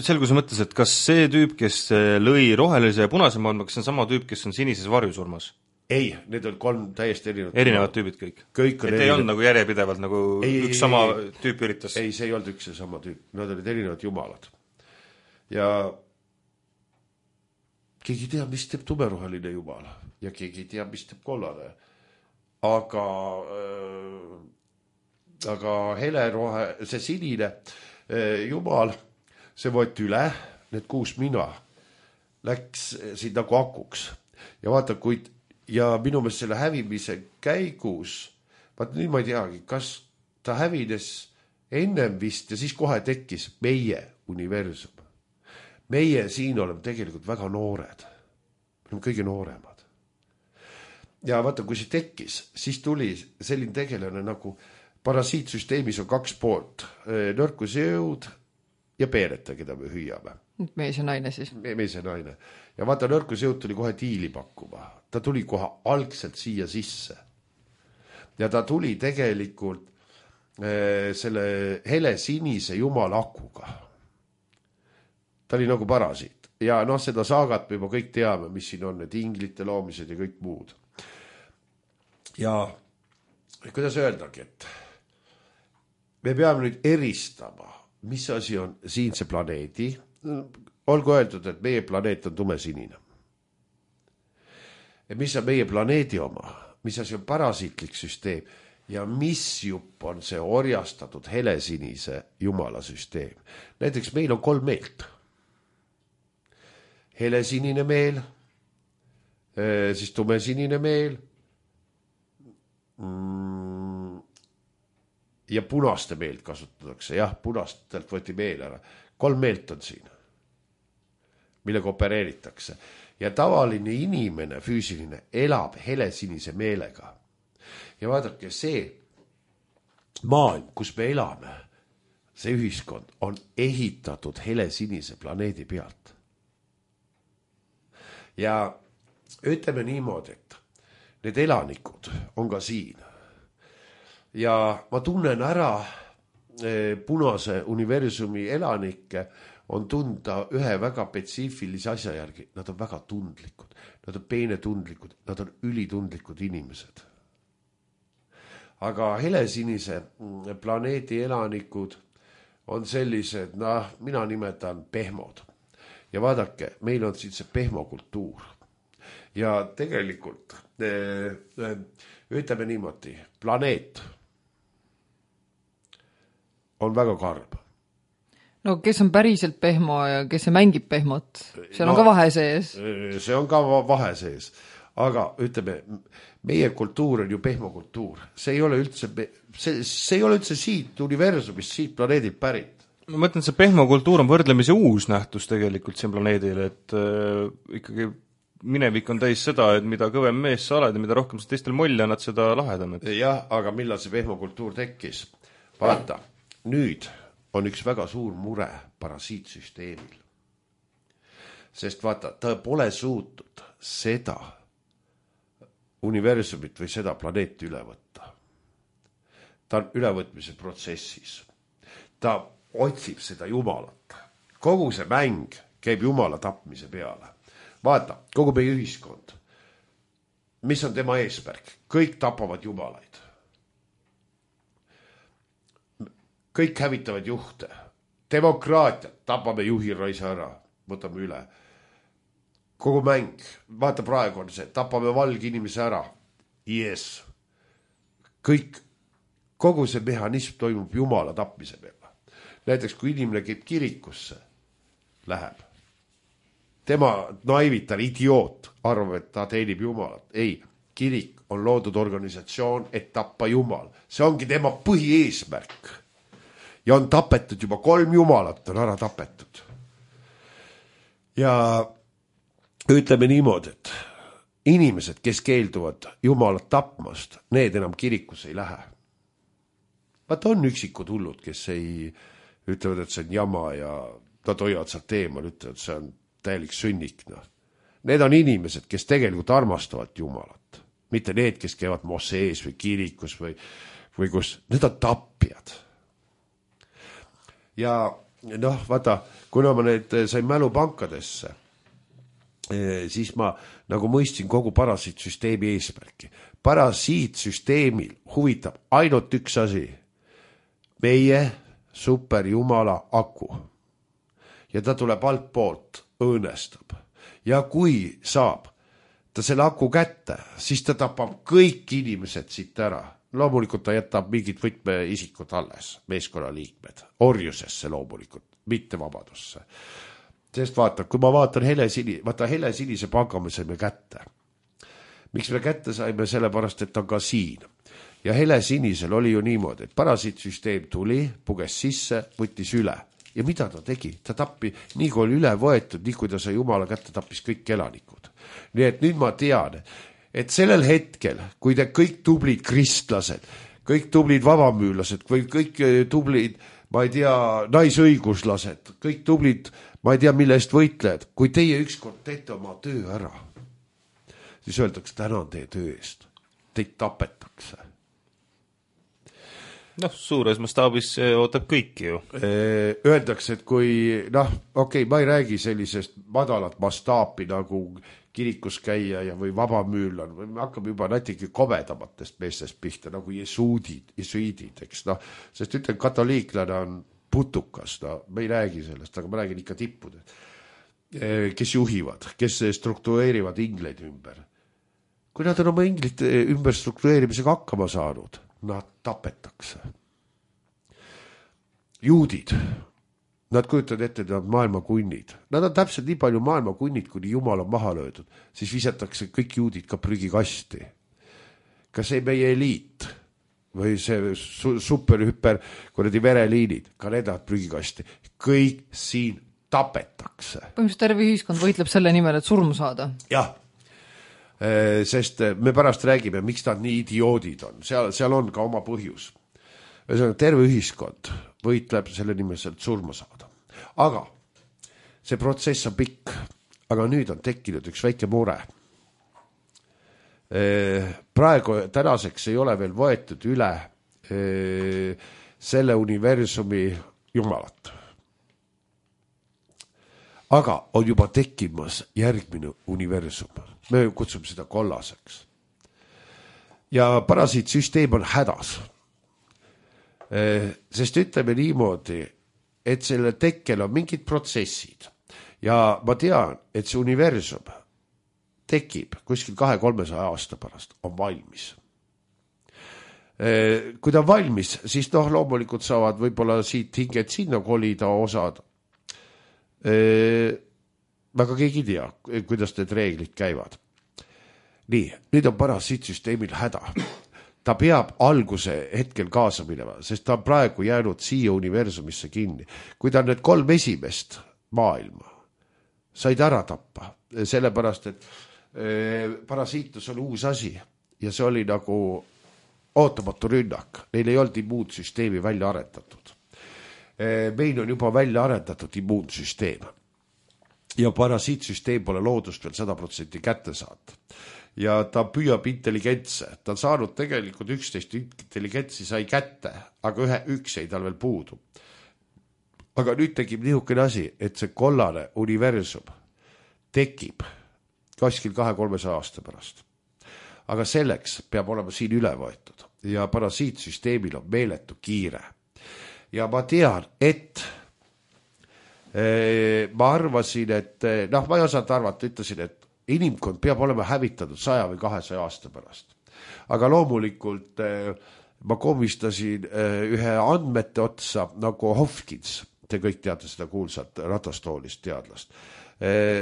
Selguse mõttes, et kas see tüüp, kes lõi rohelise ja punase maailma, kas see on sama tüüp, kes on sinises varjusurmas? Ei, need on 3 täiesti erinevad tüübid kõik. Et ei olnud nagu järjepidevalt, nagu üks sama tüüp üritas? Ei, see ei olnud üks sama tüüp, nad olid erinevad jumalad. Ja keegi ei tea, mis teeb tumeroheline jumal ja keegi ei tea, mis teeb kollane. Aga helerohe, see sinine jumal, see võeti üle, need 6 mina läks siin nagu akuks. Ja vaata, ja minu meelest selle hävimise käigus, vaata nüüd ma ei teagi, kas ta hävines ennem vist ja siis kohe tekkis meie universum. Meie siin oleme tegelikult väga noored. Me oleme kõige nooremad. Ja vaata, kui see tekkis, siis tuli selline tegelane nagu parasiitsüsteemis on 2 poolt. Nõrkuse jõud ja peereta, keda me hüüame. Mees ja naine siis. Mees ja naine. Ja vaata, nõrkuse jõud tuli kohe diili pakkuma. Ta tuli kohe algselt siia sisse. Ja ta tuli tegelikult selle hele sinise jumala akuga. Ta oli nagu parasiit. Ja noh, seda saagat me juba kõik teame, mis siin on, need inglite loomised ja kõik muud. Ja kuidas öeldagi, et me peame nüüd eristama, mis asi on siinse planeedi, olgu öeldud, et meie planeet on tumesinine. Ja mis on meie planeedi oma, mis asi on parasiitlik süsteem ja mis jupp on see orjastatud helesinise jumala süsteem. Näiteks meil on 3 meelt. Helesinine meel, siis tumesinine meel ja punaste meelt kasutatakse. Jah, punastelt võeti meel ära. 3 meelt on siin, millega opereeritakse. Ja tavaline inimene, füüsiline, elab helesinise meelega. Ja vaadake, see maailm, kus me elame, see ühiskond on ehitatud helesinise planeedi pealt. Ja ütleme niimoodi, et need elanikud on ka siin. Ja ma tunnen ära punase universumi elanikke, on tunda ühe väga spetsiifilise asja järgi. Nad on väga tundlikud, nad on peenetundlikud, nad on ülitundlikud inimesed. Aga helesinise planeedi elanikud on sellised, mina nimetan pehmod. Ja vaadake, meil on siin see pehmokultuur. Ja tegelikult, ütleme niimoodi, planeet on väga karm. No kes on päriselt pehmo ja kes see mängib pehmot? Seal on ka vahe sees. See on ka vahe sees. Aga ütleme, meie kultuur on ju pehmokultuur. See ei ole üldse siit universumist, siit planeedilt pärit. Ma mõtlen, see pehmokultuur on võrdlemisi uus nähtus tegelikult siin planeedil, et ikkagi minevik on täis seda, et mida kõvem mees sa oled ja mida rohkem sa teistel molli annad, seda lahedam. Jah, aga millal see pehmokultuur tekkis? Vaata, nüüd on üks väga suur mure parasiitsüsteemil. Sest vaata, ta pole suutnud seda universumit või seda planeeti üle võtta. Ta on ülevõtmise protsessis. Ta otsib seda jumalat. Kogu see mäng käib jumala tapmise peale. Vaata, kogu meie ühiskond. Mis on tema eesmärk? Kõik tapavad jumalaid. Kõik hävitavad juhte. Demokraatiat, tapame juhi raisa ära, võtame üle. Kogu mäng, vaata praegu on see, tapame valge inimese ära. Yes. Kogu see mehhanism toimub jumala tapmise peale. Näiteks kui inimene käib kirikusse, läheb. Tema naivitar, idioot, arvab, et ta teenib jumalat. Ei, kirik on loodud organisatsioon, et tappa jumal. See ongi tema põhieesmärk. Ja on tapetud juba 3 jumalat, on ära tapetud. Ja ütleme niimoodi, et inimesed, kes keelduvad jumalat tapmast, need enam kirikusse ei lähe. Vaata on üksikud hullud, kes ei ütlevad, et see on jama ja nad hoiavad sealt eemal, ütlevad, et see on täielik sünnik. Need on inimesed, kes tegelikult armastavad jumalat. Mitte need, kes käivad mossees või kirikus või kus. Need on tappijad. Ja vaata, kuna ma need sain mälupankadesse, siis ma nagu mõistsin kogu parasiitsüsteemi eesmärki. Parasiitsüsteemil huvitab ainult üks asi. Meie superjumala aku. Ja ta tuleb alt poolt, õõnestab. Ja kui saab ta selle aku kätte, siis ta tapab kõik inimesed siit ära. Loomulikult ta jätab mingid võtmeisikud alles, meeskonnaliikmed, orjusesse loomulikult, mitte vabadusse. Sest vaata, kui ma vaatan helesinise panga me saime kätte. Miks me kätte saime? Sellepärast, et ta on ka siin. Ja helesinisel oli ju niimoodi, et parasiitsüsteem tuli, puges sisse, võttis üle. Ja mida ta tegi? Ta tappi, nii kui oli üle võetud, nii kui ta sai jumala kätte, tappis kõik elanikud. Nii et nüüd ma tean, et sellel hetkel, kui te kõik tublid kristlased, kõik tublid vabamüülased, või kõik tublid, ma ei tea, naisõiguslased, kõik tublid, ma ei tea, mille eest võitlejad, kui teie ükskord teete oma töö ära, siis öeldakse, tänan teie töö eest, teid tapetakse. Suures mastaabis ootab kõiki ju. Öeldakse, et kui, ma ei räägi sellisest madalat mastaapi nagu kirikus käia ja või vabamüüllan, või me hakkame juba natuke kobedamatest meestest pihta, nagu jesuidid, eks sest ütlen, katoliiklane on putukas, me ei räägi sellest, aga ma räägin ikka tippudest, kes juhivad, kes struktureerivad ingleid ümber. Kui nad on oma inglite ümber struktureerimisega hakkama saanud, nad tapetakse. Juudid, nad kujutavad ette, nad maailma kunnid. Nad on täpselt nii palju maailma kunnid, kuni Jumal on maha löödud. Siis visatakse kõik juudid ka prügikasti. Ka see meie eliit või see superhüper kuradi vereliinid, ka need prügikasti. Kõik siin tapetakse. Põhimõtteliselt terve ühiskond võitleb selle nimel, et surma saada. Jah. Sest me pärast räägime, miks nad nii idioodid on. Seal on ka oma põhjus. Terve ühiskond võitleb selle nimel, et surma saada. Aga see protsess on pikk. Aga nüüd on tekkinud üks väike mure. Praegu tänaseks ei ole veel võetud üle selle universumi jumalat. Aga on juba tekkimas järgmine universum. Me kutsume seda kollaseks. Ja parasiitsüsteem on hädas. Sest ütleme niimoodi, et selle tekkel on mingid protsessid. Ja ma tean, et see universum tekib kuskil 200-300 aasta pärast, on valmis. Kui ta on valmis, siis loomulikult saavad võib-olla siit hinged sinna kolida osad. Väga keegi ei tea, kuidas need reeglid käivad. Nii, nüüd on parasiitsüsteemil häda. Ta peab alguse hetkel kaasa minema, sest ta on praegu jäänud siia universumisse kinni. Kui ta on need 3 esimest maailma, said ära tappa, sellepärast, et parasiitus on uus asi ja see oli nagu ootamatu rünnak. Neil ei olnud immuunsüsteemi välja arendatud. Meil on juba välja arendatud immuunsüsteem ja parasiitsüsteem pole loodust veel 100% kätte saada. Ja ta püüab intelligentse. Ta on saanud tegelikult 11 intelligentsi sai kätte, aga üks ei tal veel puudu. Aga nüüd tekib niisugune asi, et see kollane universum tekib kuskil 200-300 aasta pärast. Aga selleks peab olema siin üle võetud ja parasiitsüsteemil on meeletu kiire. Ja ma tean, et ma arvasin, et ma ei osanud arvata, ütlesin, et inimkond peab olema hävitatud 100 või 200 aasta pärast. Aga loomulikult ma komistasin ühe andmete otsa nagu Hopkins, te kõik teate seda kuulsat ratastoolist teadlast.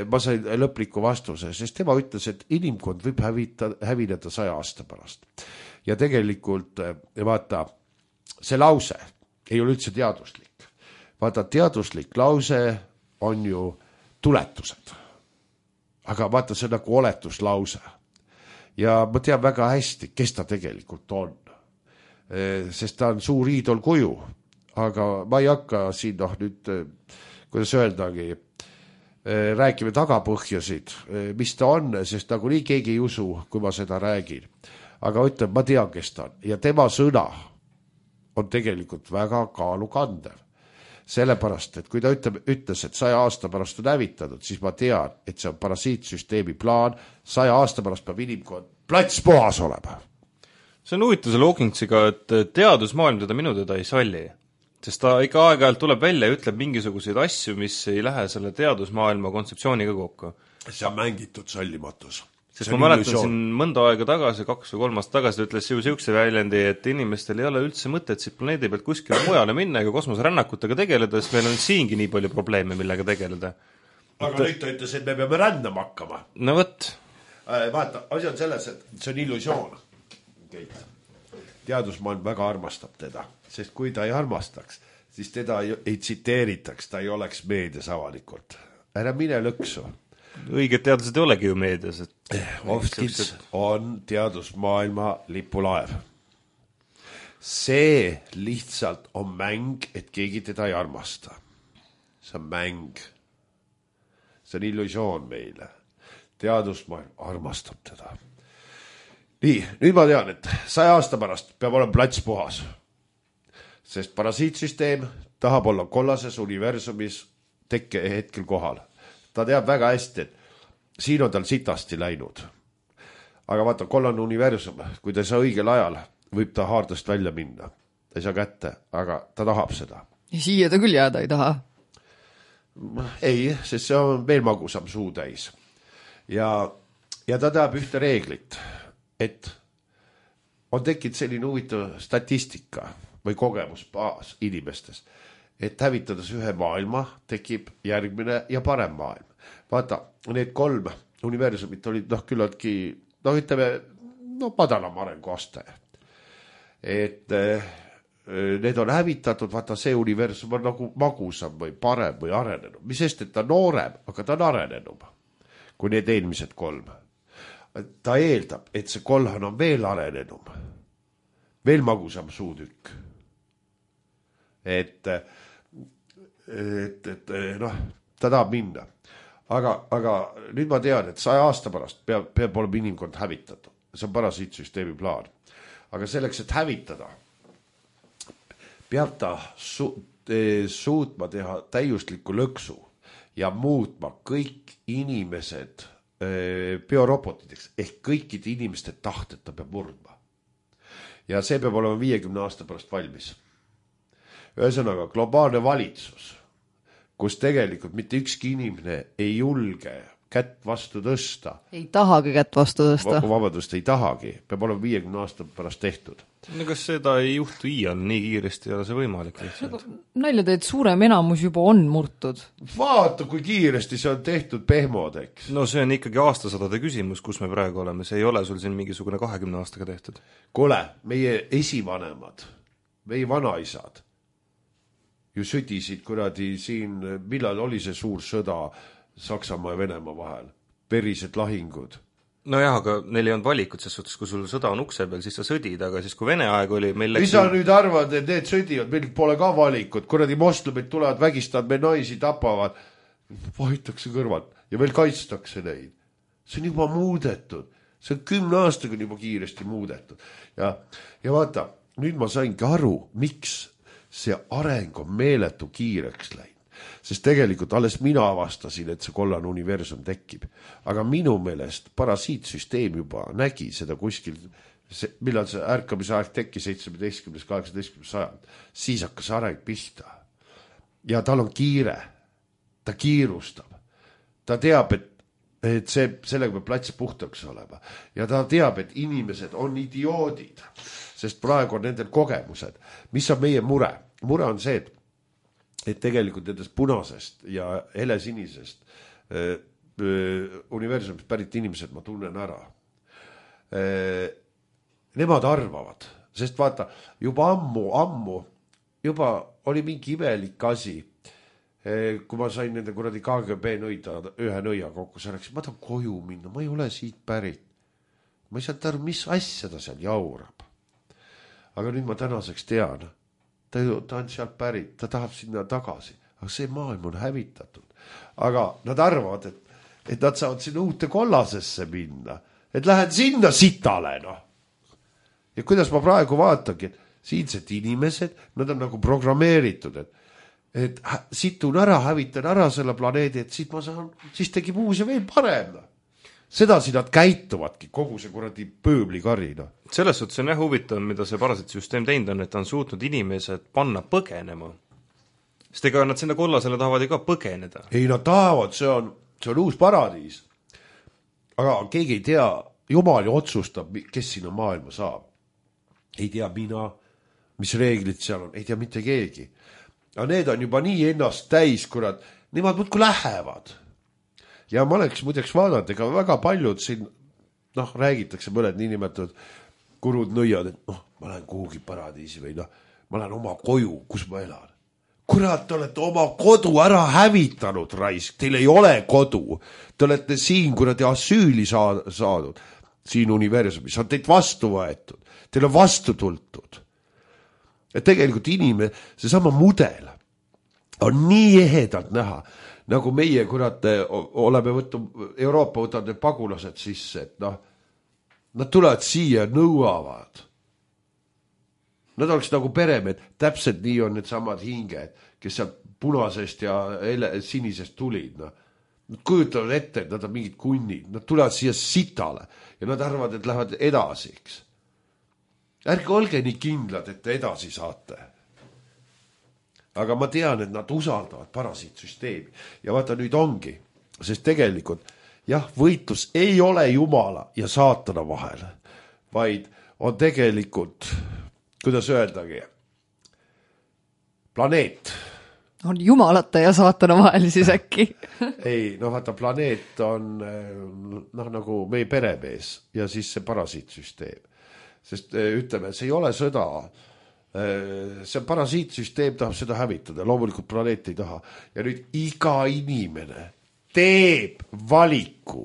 Ma sain lõpliku vastuse, sest tema ütles, et inimkond võib hävineda 100 aasta pärast. Ja tegelikult, vaata, see lause ei ole üldse teaduslik. Vaata, teaduslik lause on ju tuletused. Aga vaata, see on nagu oletuslause. Ja ma tean väga hästi, kes ta tegelikult on. Sest ta on suur iidolkuju. Aga ma ei hakka siin nüüd, kuidas öeldagi, räägime tagapõhjasid, mis ta on, sest nagu nii keegi ei usu, kui ma seda räägin. Aga ütlen, ma tean, kes ta on. Ja tema sõna on tegelikult väga kaalukandev. Sellepärast, et kui ta ütles, et 100 aasta pärast on hävitatud, siis ma tean, et see on parasiitsüsteemi plaan. 100 aasta pärast peab inimkond plats puhas olema. See on huvitav see Hawkinsiga, et teadusmaailm minu teda ei salli. Sest ta ikka aeg-ajalt tuleb välja ja ütleb mingisuguseid asju, mis ei lähe selle teadusmaailma kontseptsiooniga kokku. See on mängitud sallimatus. Sest ma mäletan siin mõnda aega tagasi, 2 või 3 aastat tagasi, ütles ju siukse väljendi, et inimestel ei ole üldse mõtet siit planeedi pealt kuskile mujale minna ega kosmoserännakutega tegeleda, sest meil on siingi nii palju probleeme, millega tegeleda. Aga nüüd ta ütles, et me peame rändama hakkama. No võt. Vaata, asi on selles, et see on illusioon. Teadusmaailm väga armastab teda, sest kui ta ei armastaks, siis teda ei tsiteeritaks, ta ei oleks meedias avalikult. Ära mine lõksu. Õiged teadlased ei olegi ju meedias. Hopkins on teadusmaailma lipulaev. See lihtsalt on mäng, et keegi teda ei armasta. See on mäng. See on illusioon meile. Teadusmaailm armastab teda. Nii, nüüd ma tean, et 100 aasta pärast peab olema plats puhas. sest parasiitsüsteem tahab olla kollases universumis tekke hetkel kohal. Ta teab väga hästi, et siin on tal sitasti läinud. Aga vaata, kollane universum, kui ta ei saa õigel ajal, võib ta haardest välja minna. Ta ei saa kätte, aga ta tahab seda. Ja siia ta küll jääda ei taha. Ei, sest see on veel magusam suutäis. Ja ta teab ühte reeglit, et on tekkinud selline huvitav statistika või kogemusbaas inimestes, et hävitades ühe maailma tekib järgmine ja parem maailm. Vaata, need 3 universumit olid küllaltki, madalam arenguaste. Et need on hävitatud, vaata see universum on nagu magusam või parem või arenenud. Mis sest, et ta noorem, aga ta on arenenum kui need eelmised 3. Ta eeldab, et see kolhan on veel arenenum, veel magusam suutükk. Et ta tahab minna. Aga nüüd ma tean, et 100 aasta pärast peab olema inimkond hävitatud. See on parasiitsüsteemi plaan. Aga selleks, et hävitada, peab ta suutma teha täiusliku lõksu ja muutma kõik inimesed biorobotideks ehk kõikide inimeste tahted ta peab murdma. Ja see peab olema 50 aasta pärast valmis. Ühesõnaga, globaalne valitsus, kus tegelikult mitte ükski inimene ei julge kätt vastu tõsta. Ei tahagi kätt vastu tõsta. Vabadust ei tahagi. Peab olema 50 aasta pärast tehtud. No kas seda ei juhtu iial nii kiiresti, ei ole see võimalik? Nalja teed, suurem enamus juba on murtud. Vaata, kui kiiresti see on tehtud pehmodeks. No see on ikkagi aastasadade küsimus, kus me praegu oleme. See ei ole sul siin mingisugune 20 aastaga tehtud. Kuule, meie esivanemad, meie vanaisad ju südisid kuradi siin, millal oli see suur sõda Saksamaa ja Venemaa vahel. Verised lahingud. No jah, aga neil ei olnud valikut, ses suhtes, kui sul sõda on ukse peal, siis sa sõdid, aga siis kui Vene aeg oli meil läks... Mis sa nüüd arvad, et need sõdivad, meil pole ka valikut, kuradi moslemid tulevad, vägistavad, me naisi tapavad, vahitakse kõrvalt ja veel kaitstakse neid. See on juba muudetud, see on 10 aastaga juba kiiresti muudetud. Ja vaata, nüüd ma saingi aru, miks see areng on meeletu kiireks läinud. Sest tegelikult alles mina avastasin, et see kollane universum tekib. Aga minu meelest parasiitsüsteem juba nägi seda kuskil, millal see ärkamise aeg teki 17-18 sajand, siis hakkas areng pihta. Ja tal on kiire, ta kiirustab. Ta teab, et sellega peab plats puhtaks olema. Ja ta teab, et inimesed on idioodid, sest praegu on nendel kogemused. Mis on meie mure? Mure on see, et tegelikult nendest punasest ja helesinisest universumist pärit inimesed ma tunnen ära. Nemad arvavad, sest vaata, juba ammu, juba oli mingi imelik asi, kui ma sain nende kuradi KGB ühe nõia kokku, see läks, ma tahan koju minna, ma ei ole siit pärit. Ma ei saanud aru, mis asja ta seal jaurab. Aga nüüd ma tänaseks tean, ta on sealt pärit, ta tahab sinna tagasi, aga see maailm on hävitatud. Aga nad arvavad, et nad saavad sinna uute kollasesse minna, et lähen sinna sitale, noh. Ja kuidas ma praegu vaatangi, et siinsed inimesed, nad on nagu programmeeritud, et situn ära, hävitan ära selle planeedi, et siis tegib uus ja veel parem. Sedasi nad käituvadki kogu see kuradi pööblikarina. Selles suhtes on jah huvitav, mida see parasiitsüsteem teinud on, et ta on suutnud inimesed panna põgenema. Sest ega nad sinna kollasele tahavad ju ka põgeneda. Ei, nad tahavad, see on uus paradiis. Aga keegi ei tea, Jumal ju otsustab, kes sinna maailma saab. Ei tea mina, mis reeglid seal on, ei tea mitte keegi. Aga need on juba nii ennast täis, kurat, nemad muudku lähevad. Ja ma oleks muideks vaadanud, ega väga paljud siin, räägitakse mõned niinimetatud kurud nõiad, et ma lähen kuhugi paradiisi või ma lähen oma koju, kus ma elan. Kurat, te olete oma kodu ära hävitanud, raisk, teil ei ole kodu. Te olete siin kuradi asüüli saadud, siin universumis, on teid vastu võetud, teil on vastu tultud. Et tegelikult inimene, see sama mudel on nii ehedalt näha, nagu meie, kurat, oleme Euroopa võtavad need pagulased sisse, et nad tulevad siia ja nõuavad. Nad oleks nagu peremehed, täpselt nii on need samad hinged, kes sealt punasest ja sinisest tulid. No. Nad kujutavad ette, et nad on mingid kunnid, nad tulevad siia sitale ja nad arvavad, et lähevad edasi. Eks. Ärge olge nii kindlad, et te edasi saate. Aga ma tean, et nad usaldavad parasiitsüsteemi ja vaata nüüd ongi, sest tegelikult jah, võitlus ei ole Jumala ja saatana vahel, vaid on tegelikult, kuidas öeldagi, planeet. On jumalate ja saatana vahel siis äkki? Ei, no vaata, planeet on nagu meie peremees ja siis see parasiitsüsteem. Sest ütleme, see ei ole sõda, see parasiitsüsteem tahab seda hävitada, loomulikult planeet ei taha. Ja nüüd iga inimene teeb valiku,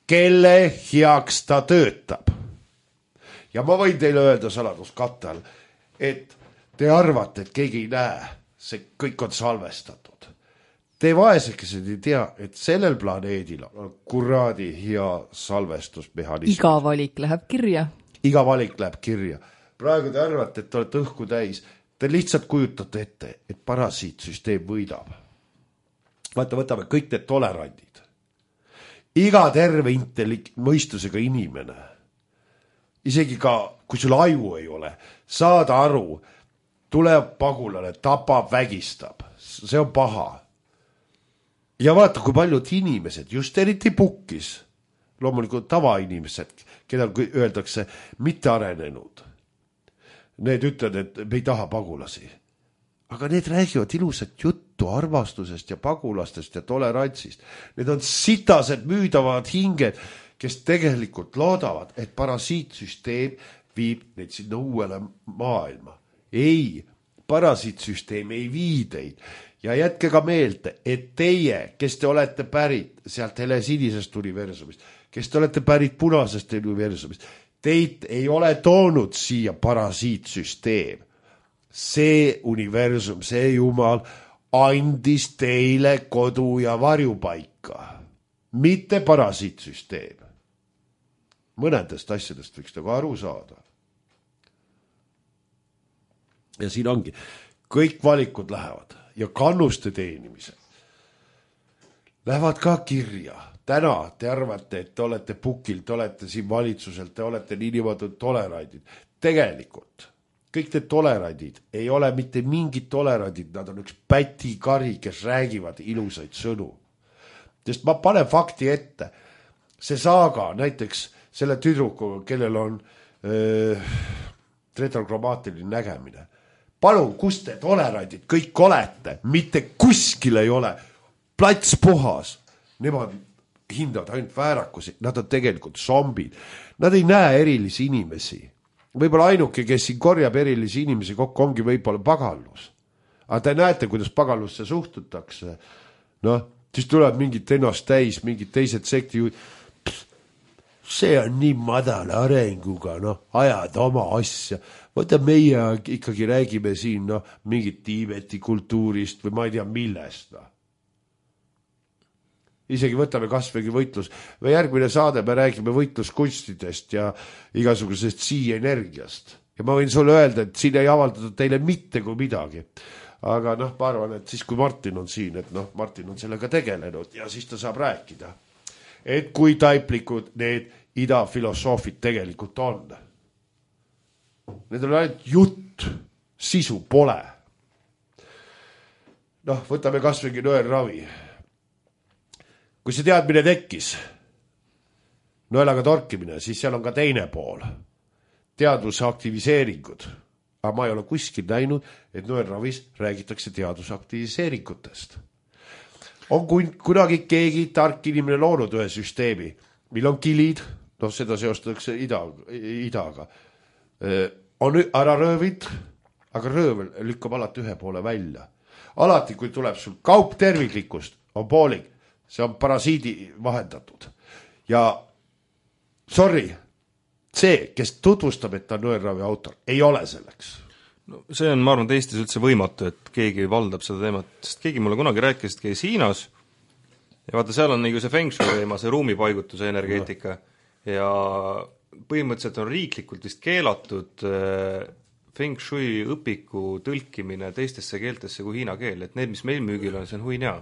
kelle heaks ta töötab. Ja ma võin teile öelda saladuskatte all, et te arvate, et keegi ei näe, see kõik on salvestatud. Te vaesekesed ei tea, et sellel planeedil on kuradi hea salvestusmehhanism. Iga valik läheb kirja. Iga valik läheb kirja. Praegu te arvate, et te olete õhku täis. Te lihtsalt kujutate ette, et parasiitsüsteem võidab. Vaata, võtame kõik need tolerandid. Iga terve mõistusega inimene, isegi ka, kui sul aju ei ole, saada aru, tuleb pagulane, tapab, vägistab. See on paha. Ja vaata, kui paljud inimesed, just eriti pukkis, loomulikult tavainimesed, keda öeldakse mitte arenenud. Need ütlevad, et me ei taha pagulasi. Aga need räägivad ilusat juttu armastusest ja pagulastest ja tolerantsist. Need on sitased müüdavad hinged, kes tegelikult loodavad, et parasiitsüsteem viib neid sinna uuele maailma. Ei, parasiitsüsteem ei vii teid. Ja jätke ka meelde, et teie, kes te olete pärit sealt helesinisest universumist, kes te olete pärit punasest universumist, teid ei ole toonud siia parasiitsüsteem. See universum, see Jumal andis teile kodu ja varjupaika, mitte parasiitsüsteem. Mõnedest asjadest võiks nagu aru saada. Ja siin ongi, kõik valikud lähevad ja kannuste teenimised lähevad ka kirja. Täna te arvate, et te olete pukil, te olete siin valitsuselt, te olete niimoodi tolerandid. Tegelikult kõik need tolerandid ei ole mitte mingid tolerandid, nad on üks pätikari, kes räägivad ilusaid sõnu. Sest ma panen fakti ette. See saaga näiteks selle tüdrukuga, kellel on retrokromaatiline nägemine. Palun, kus te tolerandid kõik olete? Mitte kuskil ei ole. Plats puhas. Nemad hindavad ainult väärakusi. Nad on tegelikult zombid. Nad ei näe erilisi inimesi. Võib-olla ainuke, kes siin korjab erilisi inimesi kokku, ongi võib-olla pagallus. Aga te näete, kuidas pagallusse suhtutakse. Noh, siis tuleb mingit ennast täis, mingid teised sekti. See on nii madala arenguga, ajad oma asja. Võta meie ikkagi räägime siin mingit Tiibeti kultuurist või ma ei tea millest. Isegi võtame kasvõi võitlus. Või järgmine saade me räägime võitluskunstidest ja igasugusest sii-energiast. Ja ma võin sulle öelda, et siin ei avaldatud teile mitte kui midagi. Aga ma arvan, et siis kui Martin on siin, et Martin on sellega tegelenud ja siis ta saab rääkida. Et kui taiplikud need idafilosoofid tegelikult on. Need on ainult jutt, sisu pole. Võtame kasvõi nõelravi. Kui see teadmine tekkis, nõelaga torkimine, siis seal on ka teine pool. Teadvuse aktiviseeringud. Aga ma ei ole kuskil näinud, et nõelravis räägitakse teadvuse aktiviseeringutest. On kunagi keegi tark inimene loonud ühe süsteemi, mil on kilid, seda seostatakse idaga. On ära röövid, aga röövel lükkab alati ühe poole välja. Alati, kui tuleb sul kaup terviklikkust, on poolik, see on parasiidi vahendatud. Ja sorry, see, kes tutvustab, et ta on nõelravi autor, ei ole selleks. No, see on, ma arvan, Eestis üldse võimatu, et keegi valdab seda teemat, sest keegi mulle kunagi rääkis, et käis Hiinas ja vaata, seal on nagu see feng shui teema, see ruumipaigutuse energeetika ja põhimõtteliselt on riiklikult vist keelatud feng shui õpiku tõlkimine teistesse keeltesse kui hiina keel, et need, mis meil müügil on, see on huinja.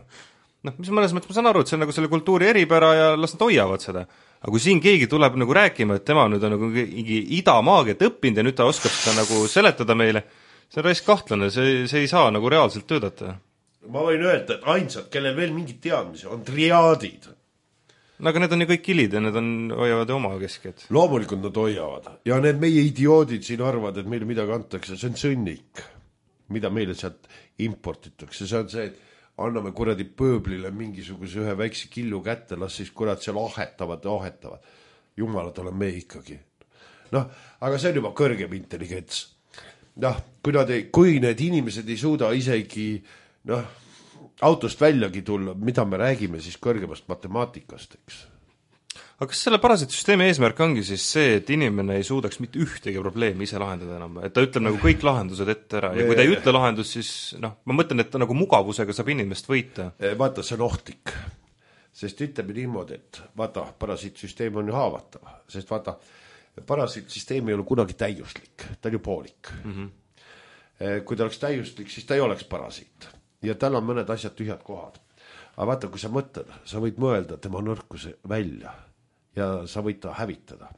Noh, mis mõnes mõttes ma saan aru, et see on nagu selle kultuuri eripära ja las nad hoiavad seda. Aga kui siin keegi tuleb nagu rääkima, et tema nüüd on nagu mingi idamaagiat õppinud ja nüüd ta oskab seda nagu seletada meile, see on raisk kahtlane, see ei saa nagu reaalselt töötada. Ma võin öelda, et ainsad, kellel veel mingid teadmisi, on triaadid. No aga need on ju kõik kilid ja need hoiavad oma kesked. Loomulikult nad hoiavad. Ja need meie idioodid siin arvavad, et meile midagi antakse, see on sõnnik, mida meile sealt importitakse. See on see, et anname kuradi pööblile mingisuguse ühe väikse killu kätte, las siis kurat seal ahetavad. Jumalad olen me ikkagi. Noh, aga see on juba kõrgem intelligents. Noh, kui need inimesed ei suuda isegi autost väljagi tulla, mida me räägime siis kõrgemast matemaatikast, eks? Aga kas selle parasiitsüsteemi eesmärk ongi siis see, et inimene ei suudaks mitte ühtegi probleemi ise lahendada enam, et ta ütleb nagu kõik lahendused ette ära ja kui ta ei ütle lahendus, siis ma mõtlen, et ta nagu mugavusega saab inimest võita. Vaata, see on ohtlik, sest ütleme niimoodi, et vaata, parasiitsüsteem on ju haavatav, sest vaata, parasiitsüsteem ei ole kunagi täiuslik, ta on ju poolik. Kui ta oleks täiuslik, siis ta ei oleks parasiit ja tal on mõned asjad tühjad kohad. Aga vaata, kui sa mõtled, sa võid mõelda tema nõrkuse välja ja sa võid ta hävitada.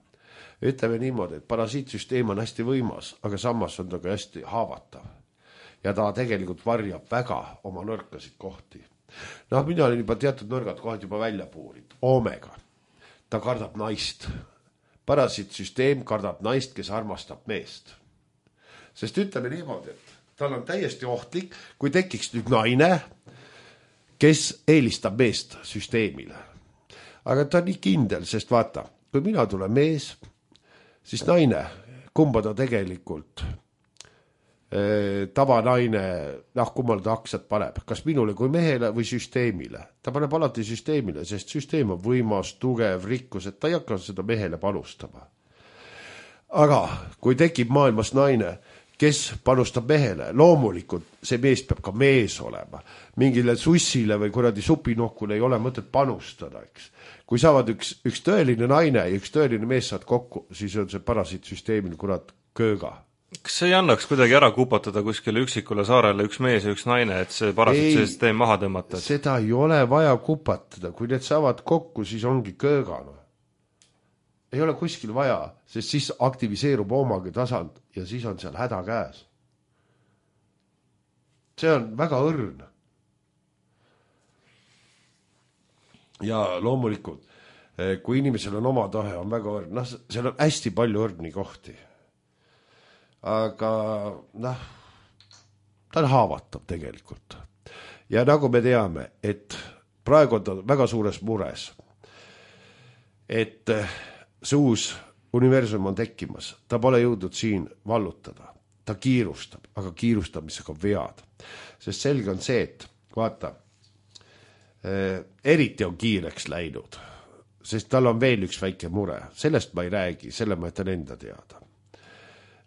Ütleme niimoodi, et parasiitsüsteem on hästi võimas, aga samas on ta ka hästi haavatav. Ja ta tegelikult varjab väga oma nõrkasid kohti. Mina olin juba teatud nõrgad kohad juba välja puurinud. Omega. Ta kardab naist. Parasiitsüsteem kardab naist, kes armastab meest. Sest ütleme niimoodi, et tal on täiesti ohtlik, kui tekiks nüüd naine, kes eelistab meest süsteemile. Aga ta on nii kindel, sest vaata, kui mina tulen mees, siis naine, kumba ta tegelikult tavanaine, kummal ta aksad paneb, kas minule kui mehele või süsteemile. Ta paneb alati süsteemile, sest süsteem on võimas, tugev, rikkus, et ta ei hakka seda mehele panustama. Aga kui tekib maailmas naine, kes panustab mehele, loomulikult see mees peab ka mees olema. Mingile sussile või kuradi supinokule ei ole mõtet panustada, eks. Kui saavad üks tõeline naine ja üks tõeline mees saad kokku, siis on see parasiitsüsteemil kurat kööga. Kas see ei annaks kuidagi ära kupatada kuskile üksikule saarele üks mees ja üks naine, et see parasiitsüsteem maha tõmmata? Seda ei ole vaja kupatada, kui need saavad kokku, siis ongi köögana. Ei ole kuskil vaja, sest siis aktiviseerub omagi tasand ja siis on seal häda käes. See on väga õrn. Ja loomulikult, kui inimesel on oma tahe, on väga õrn. Seal on hästi palju õrni kohti. Aga ta on haavatav tegelikult. Ja nagu me teame, et praegu on ta väga suures mures, et see uus universum on tekkimas. Ta pole jõudnud siin vallutada. Ta kiirustab, aga kiirustamisega vead. Sest selge on see, et vaata, eriti on kiireks läinud, sest tal on veel üks väike mure. Sellest ma ei räägi, selle ma jätan enda teada.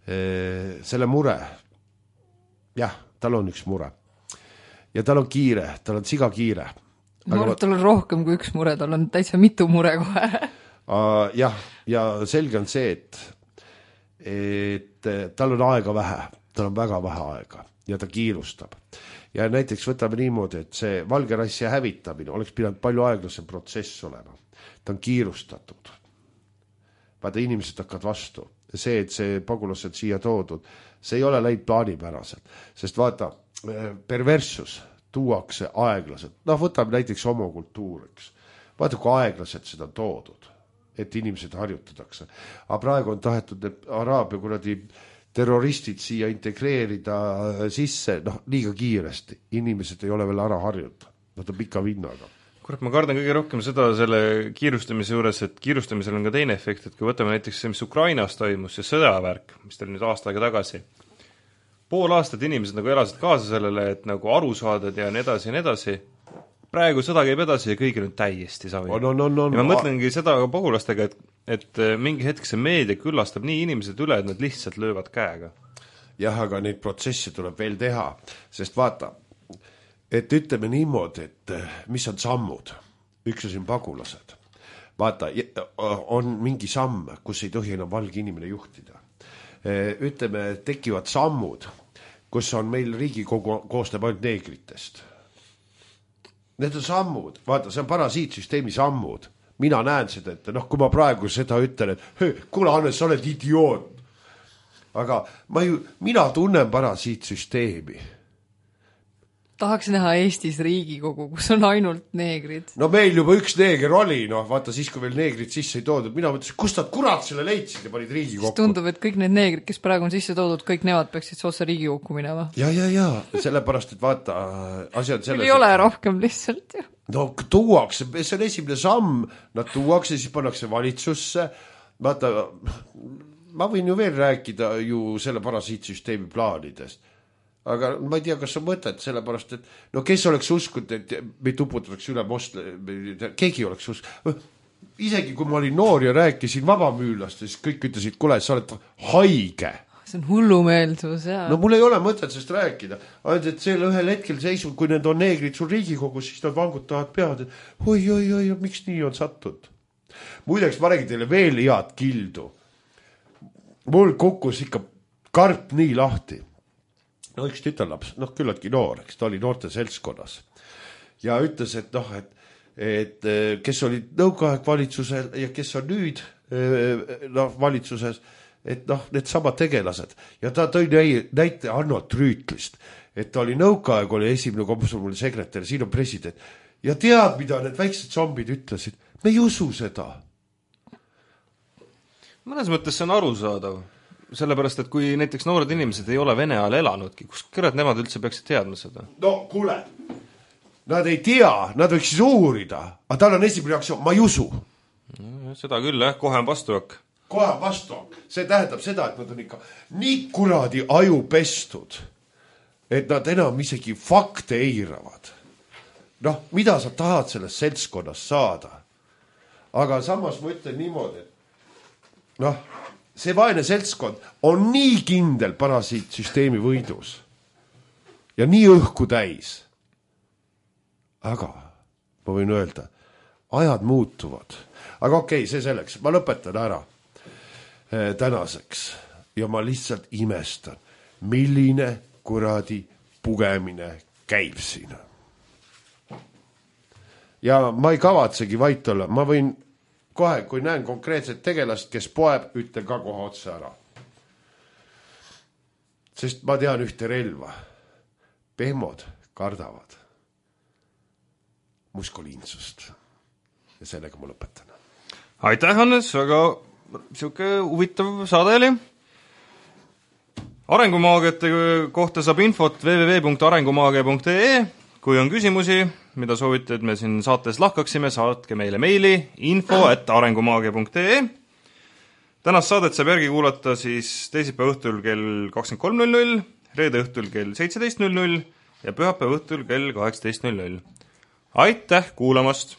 Selle mure, jah, tal on üks mure. Ja tal on kiire, tal on siga kiire. Ma arvan, tal on rohkem kui üks mure, tal on täitsa mitu mure kohe. Jah, ja selge on see, et tal on aega vähe, tal on väga vähe aega ja ta kiirustab. Ja näiteks võtame niimoodi, et see valge rassi hävitamine oleks pidanud palju aeglasem protsess olema. Ta on kiirustatud. Vaata, inimesed hakkavad vastu. See, et see pagulased siia toodud, see ei ole läinud plaanipäraselt. Sest vaata, perversus tuuakse aeglaselt. Võtame näiteks homokultuuriks. Vaata, kui aeglaselt seda toodud, et inimesed harjutatakse. Aga praegu on tahetud Araabia kuradi terroristid siia integreerida sisse, liiga kiiresti. Inimesed ei ole veel ära harjunud. Nad on pika vinnaga. Kurat, ma kardan kõige rohkem seda selle kiirustamise juures, et kiirustamisel on ka teine efekt, et kui võtame näiteks see, mis Ukrainas toimus, see sõjavärk, mis teil nüüd aasta aega tagasi, pool aastat inimesed nagu elasid kaasa sellele, et nagu aru saadad ja nii edasi ja nii edasi. Praegu sõda käib edasi ja kõigil on täiesti savi. Ja ma mõtlengi seda ka pagulastega, et mingi hetk see meedia küllastab nii inimesed üle, et nad lihtsalt löövad käega. Jah, aga neid protsesse tuleb veel teha, sest vaata, et ütleme niimoodi, et mis on sammud, üks on pagulased. Vaata, on mingi samm, kus ei tohi enam valge inimene juhtida. ütleme, tekivad sammud, kus on meil Riigikogu koosneb ainult neegritest. Need on sammud, vaata, see on parasiitsüsteemi sammud. Mina näen seda, et kui ma praegu seda ütlen, et kuule, Hannes, sa oled idioot. Aga mina tunnen parasiitsüsteemi. Tahaks näha Eestis Riigikogu, kus on ainult neegrid. No meil juba üks neeger oli, vaata siis, kui veel neegrid sisse ei toodud. Mina mõtlesin, kust nad kurat selle leidsid ja panid Riigikokku. Siis tundub, et kõik need neegrid, kes praegu on sisse toodud, kõik nemad peaksid otse Riigikokku minema. Ja, sellepärast, et vaata, asi on selles... Ei ole rohkem lihtsalt ju. No tuuakse, see on esimene samm, nad tuuakse, siis pannakse valitsusse. Vaata, ma võin ju veel rääkida ju selle parasiitsüsteemi plaanidest. Aga ma ei tea, kas on mõtet, sellepärast, et kes oleks uskunud, et meid uputatakse üle keegi oleks uskunud. Isegi kui ma olin noor ja rääkisin vabamüülast, siis kõik ütlesid, kuule, sa oled haige. See on hullumeelsus, jaa. No mul ei ole mõtet sellest rääkida. Ainult, et selle ühel hetkel seisub, kui need on neegrid sul Riigikogus, siis nad vangutavad pead, et oi, miks nii on sattud. Muideks, ma räägin teile veel head kildu. Mul kukkus ikka karp nii lahti. No üks tütarlaps, küllaltki noor, eks ta oli noorte seltskonnas ja ütles, et kes oli nõukaaeg valitsusel ja kes on nüüd valitsuses, et need samad tegelased ja ta tõi näite Arnold Rüütlist, et ta oli nõukaaeg, oli esimene komsomoli sekretär, siin on president ja tead, mida need väiksed zombid ütlesid, me ei usu seda. Mõnes mõttes see on arusaadav. Sellepärast, et kui näiteks noored inimesed ei ole Vene ajal elanudki, kus kõrad nemad üldse peaksid teadma seda? No kuule, nad ei tea, nad võiks uurida, aga tal on esimene reaktsioon, ma ei usu. Seda küll, kohe on vastuak. Kohe on vastuak. See tähendab seda, et nad on ikka nii kuradi aju pestud, et nad enam isegi fakte eiravad. Mida sa tahad sellest seltskonnas saada? Aga samas ma ütlen niimoodi, et see vaene seltskond on nii kindel parasiitsüsteemi võidus ja nii õhku täis. Aga ma võin öelda, ajad muutuvad. Aga okei, see selleks. Ma lõpetan ära tänaseks ja ma lihtsalt imestan, milline kuradi pugemine käib siin. Ja ma ei kavatsegi vait olla. Ma võin kohe, kui näen konkreetset tegelast, kes poeb, ütlen ka kohe otse ära. Sest ma tean ühte relva. Pehmod kardavad muskoliinsust. Ja sellega ma lõpetan. Aitäh, Hannes, väga siuke huvitav saade oli. Arengumaagiate kohta saab infot www.arengumaagia.ee. Kui on küsimusi, mida soovite, et me siin saates lahkaksime, saatke meile meili info@arengumaagia.ee. Tänast saadet saab järgi kuulata siis teisipäeva õhtul kell 23.00, reede õhtul kell 17.00 ja pühapäeva õhtul kell 18.00. Aitäh kuulamast!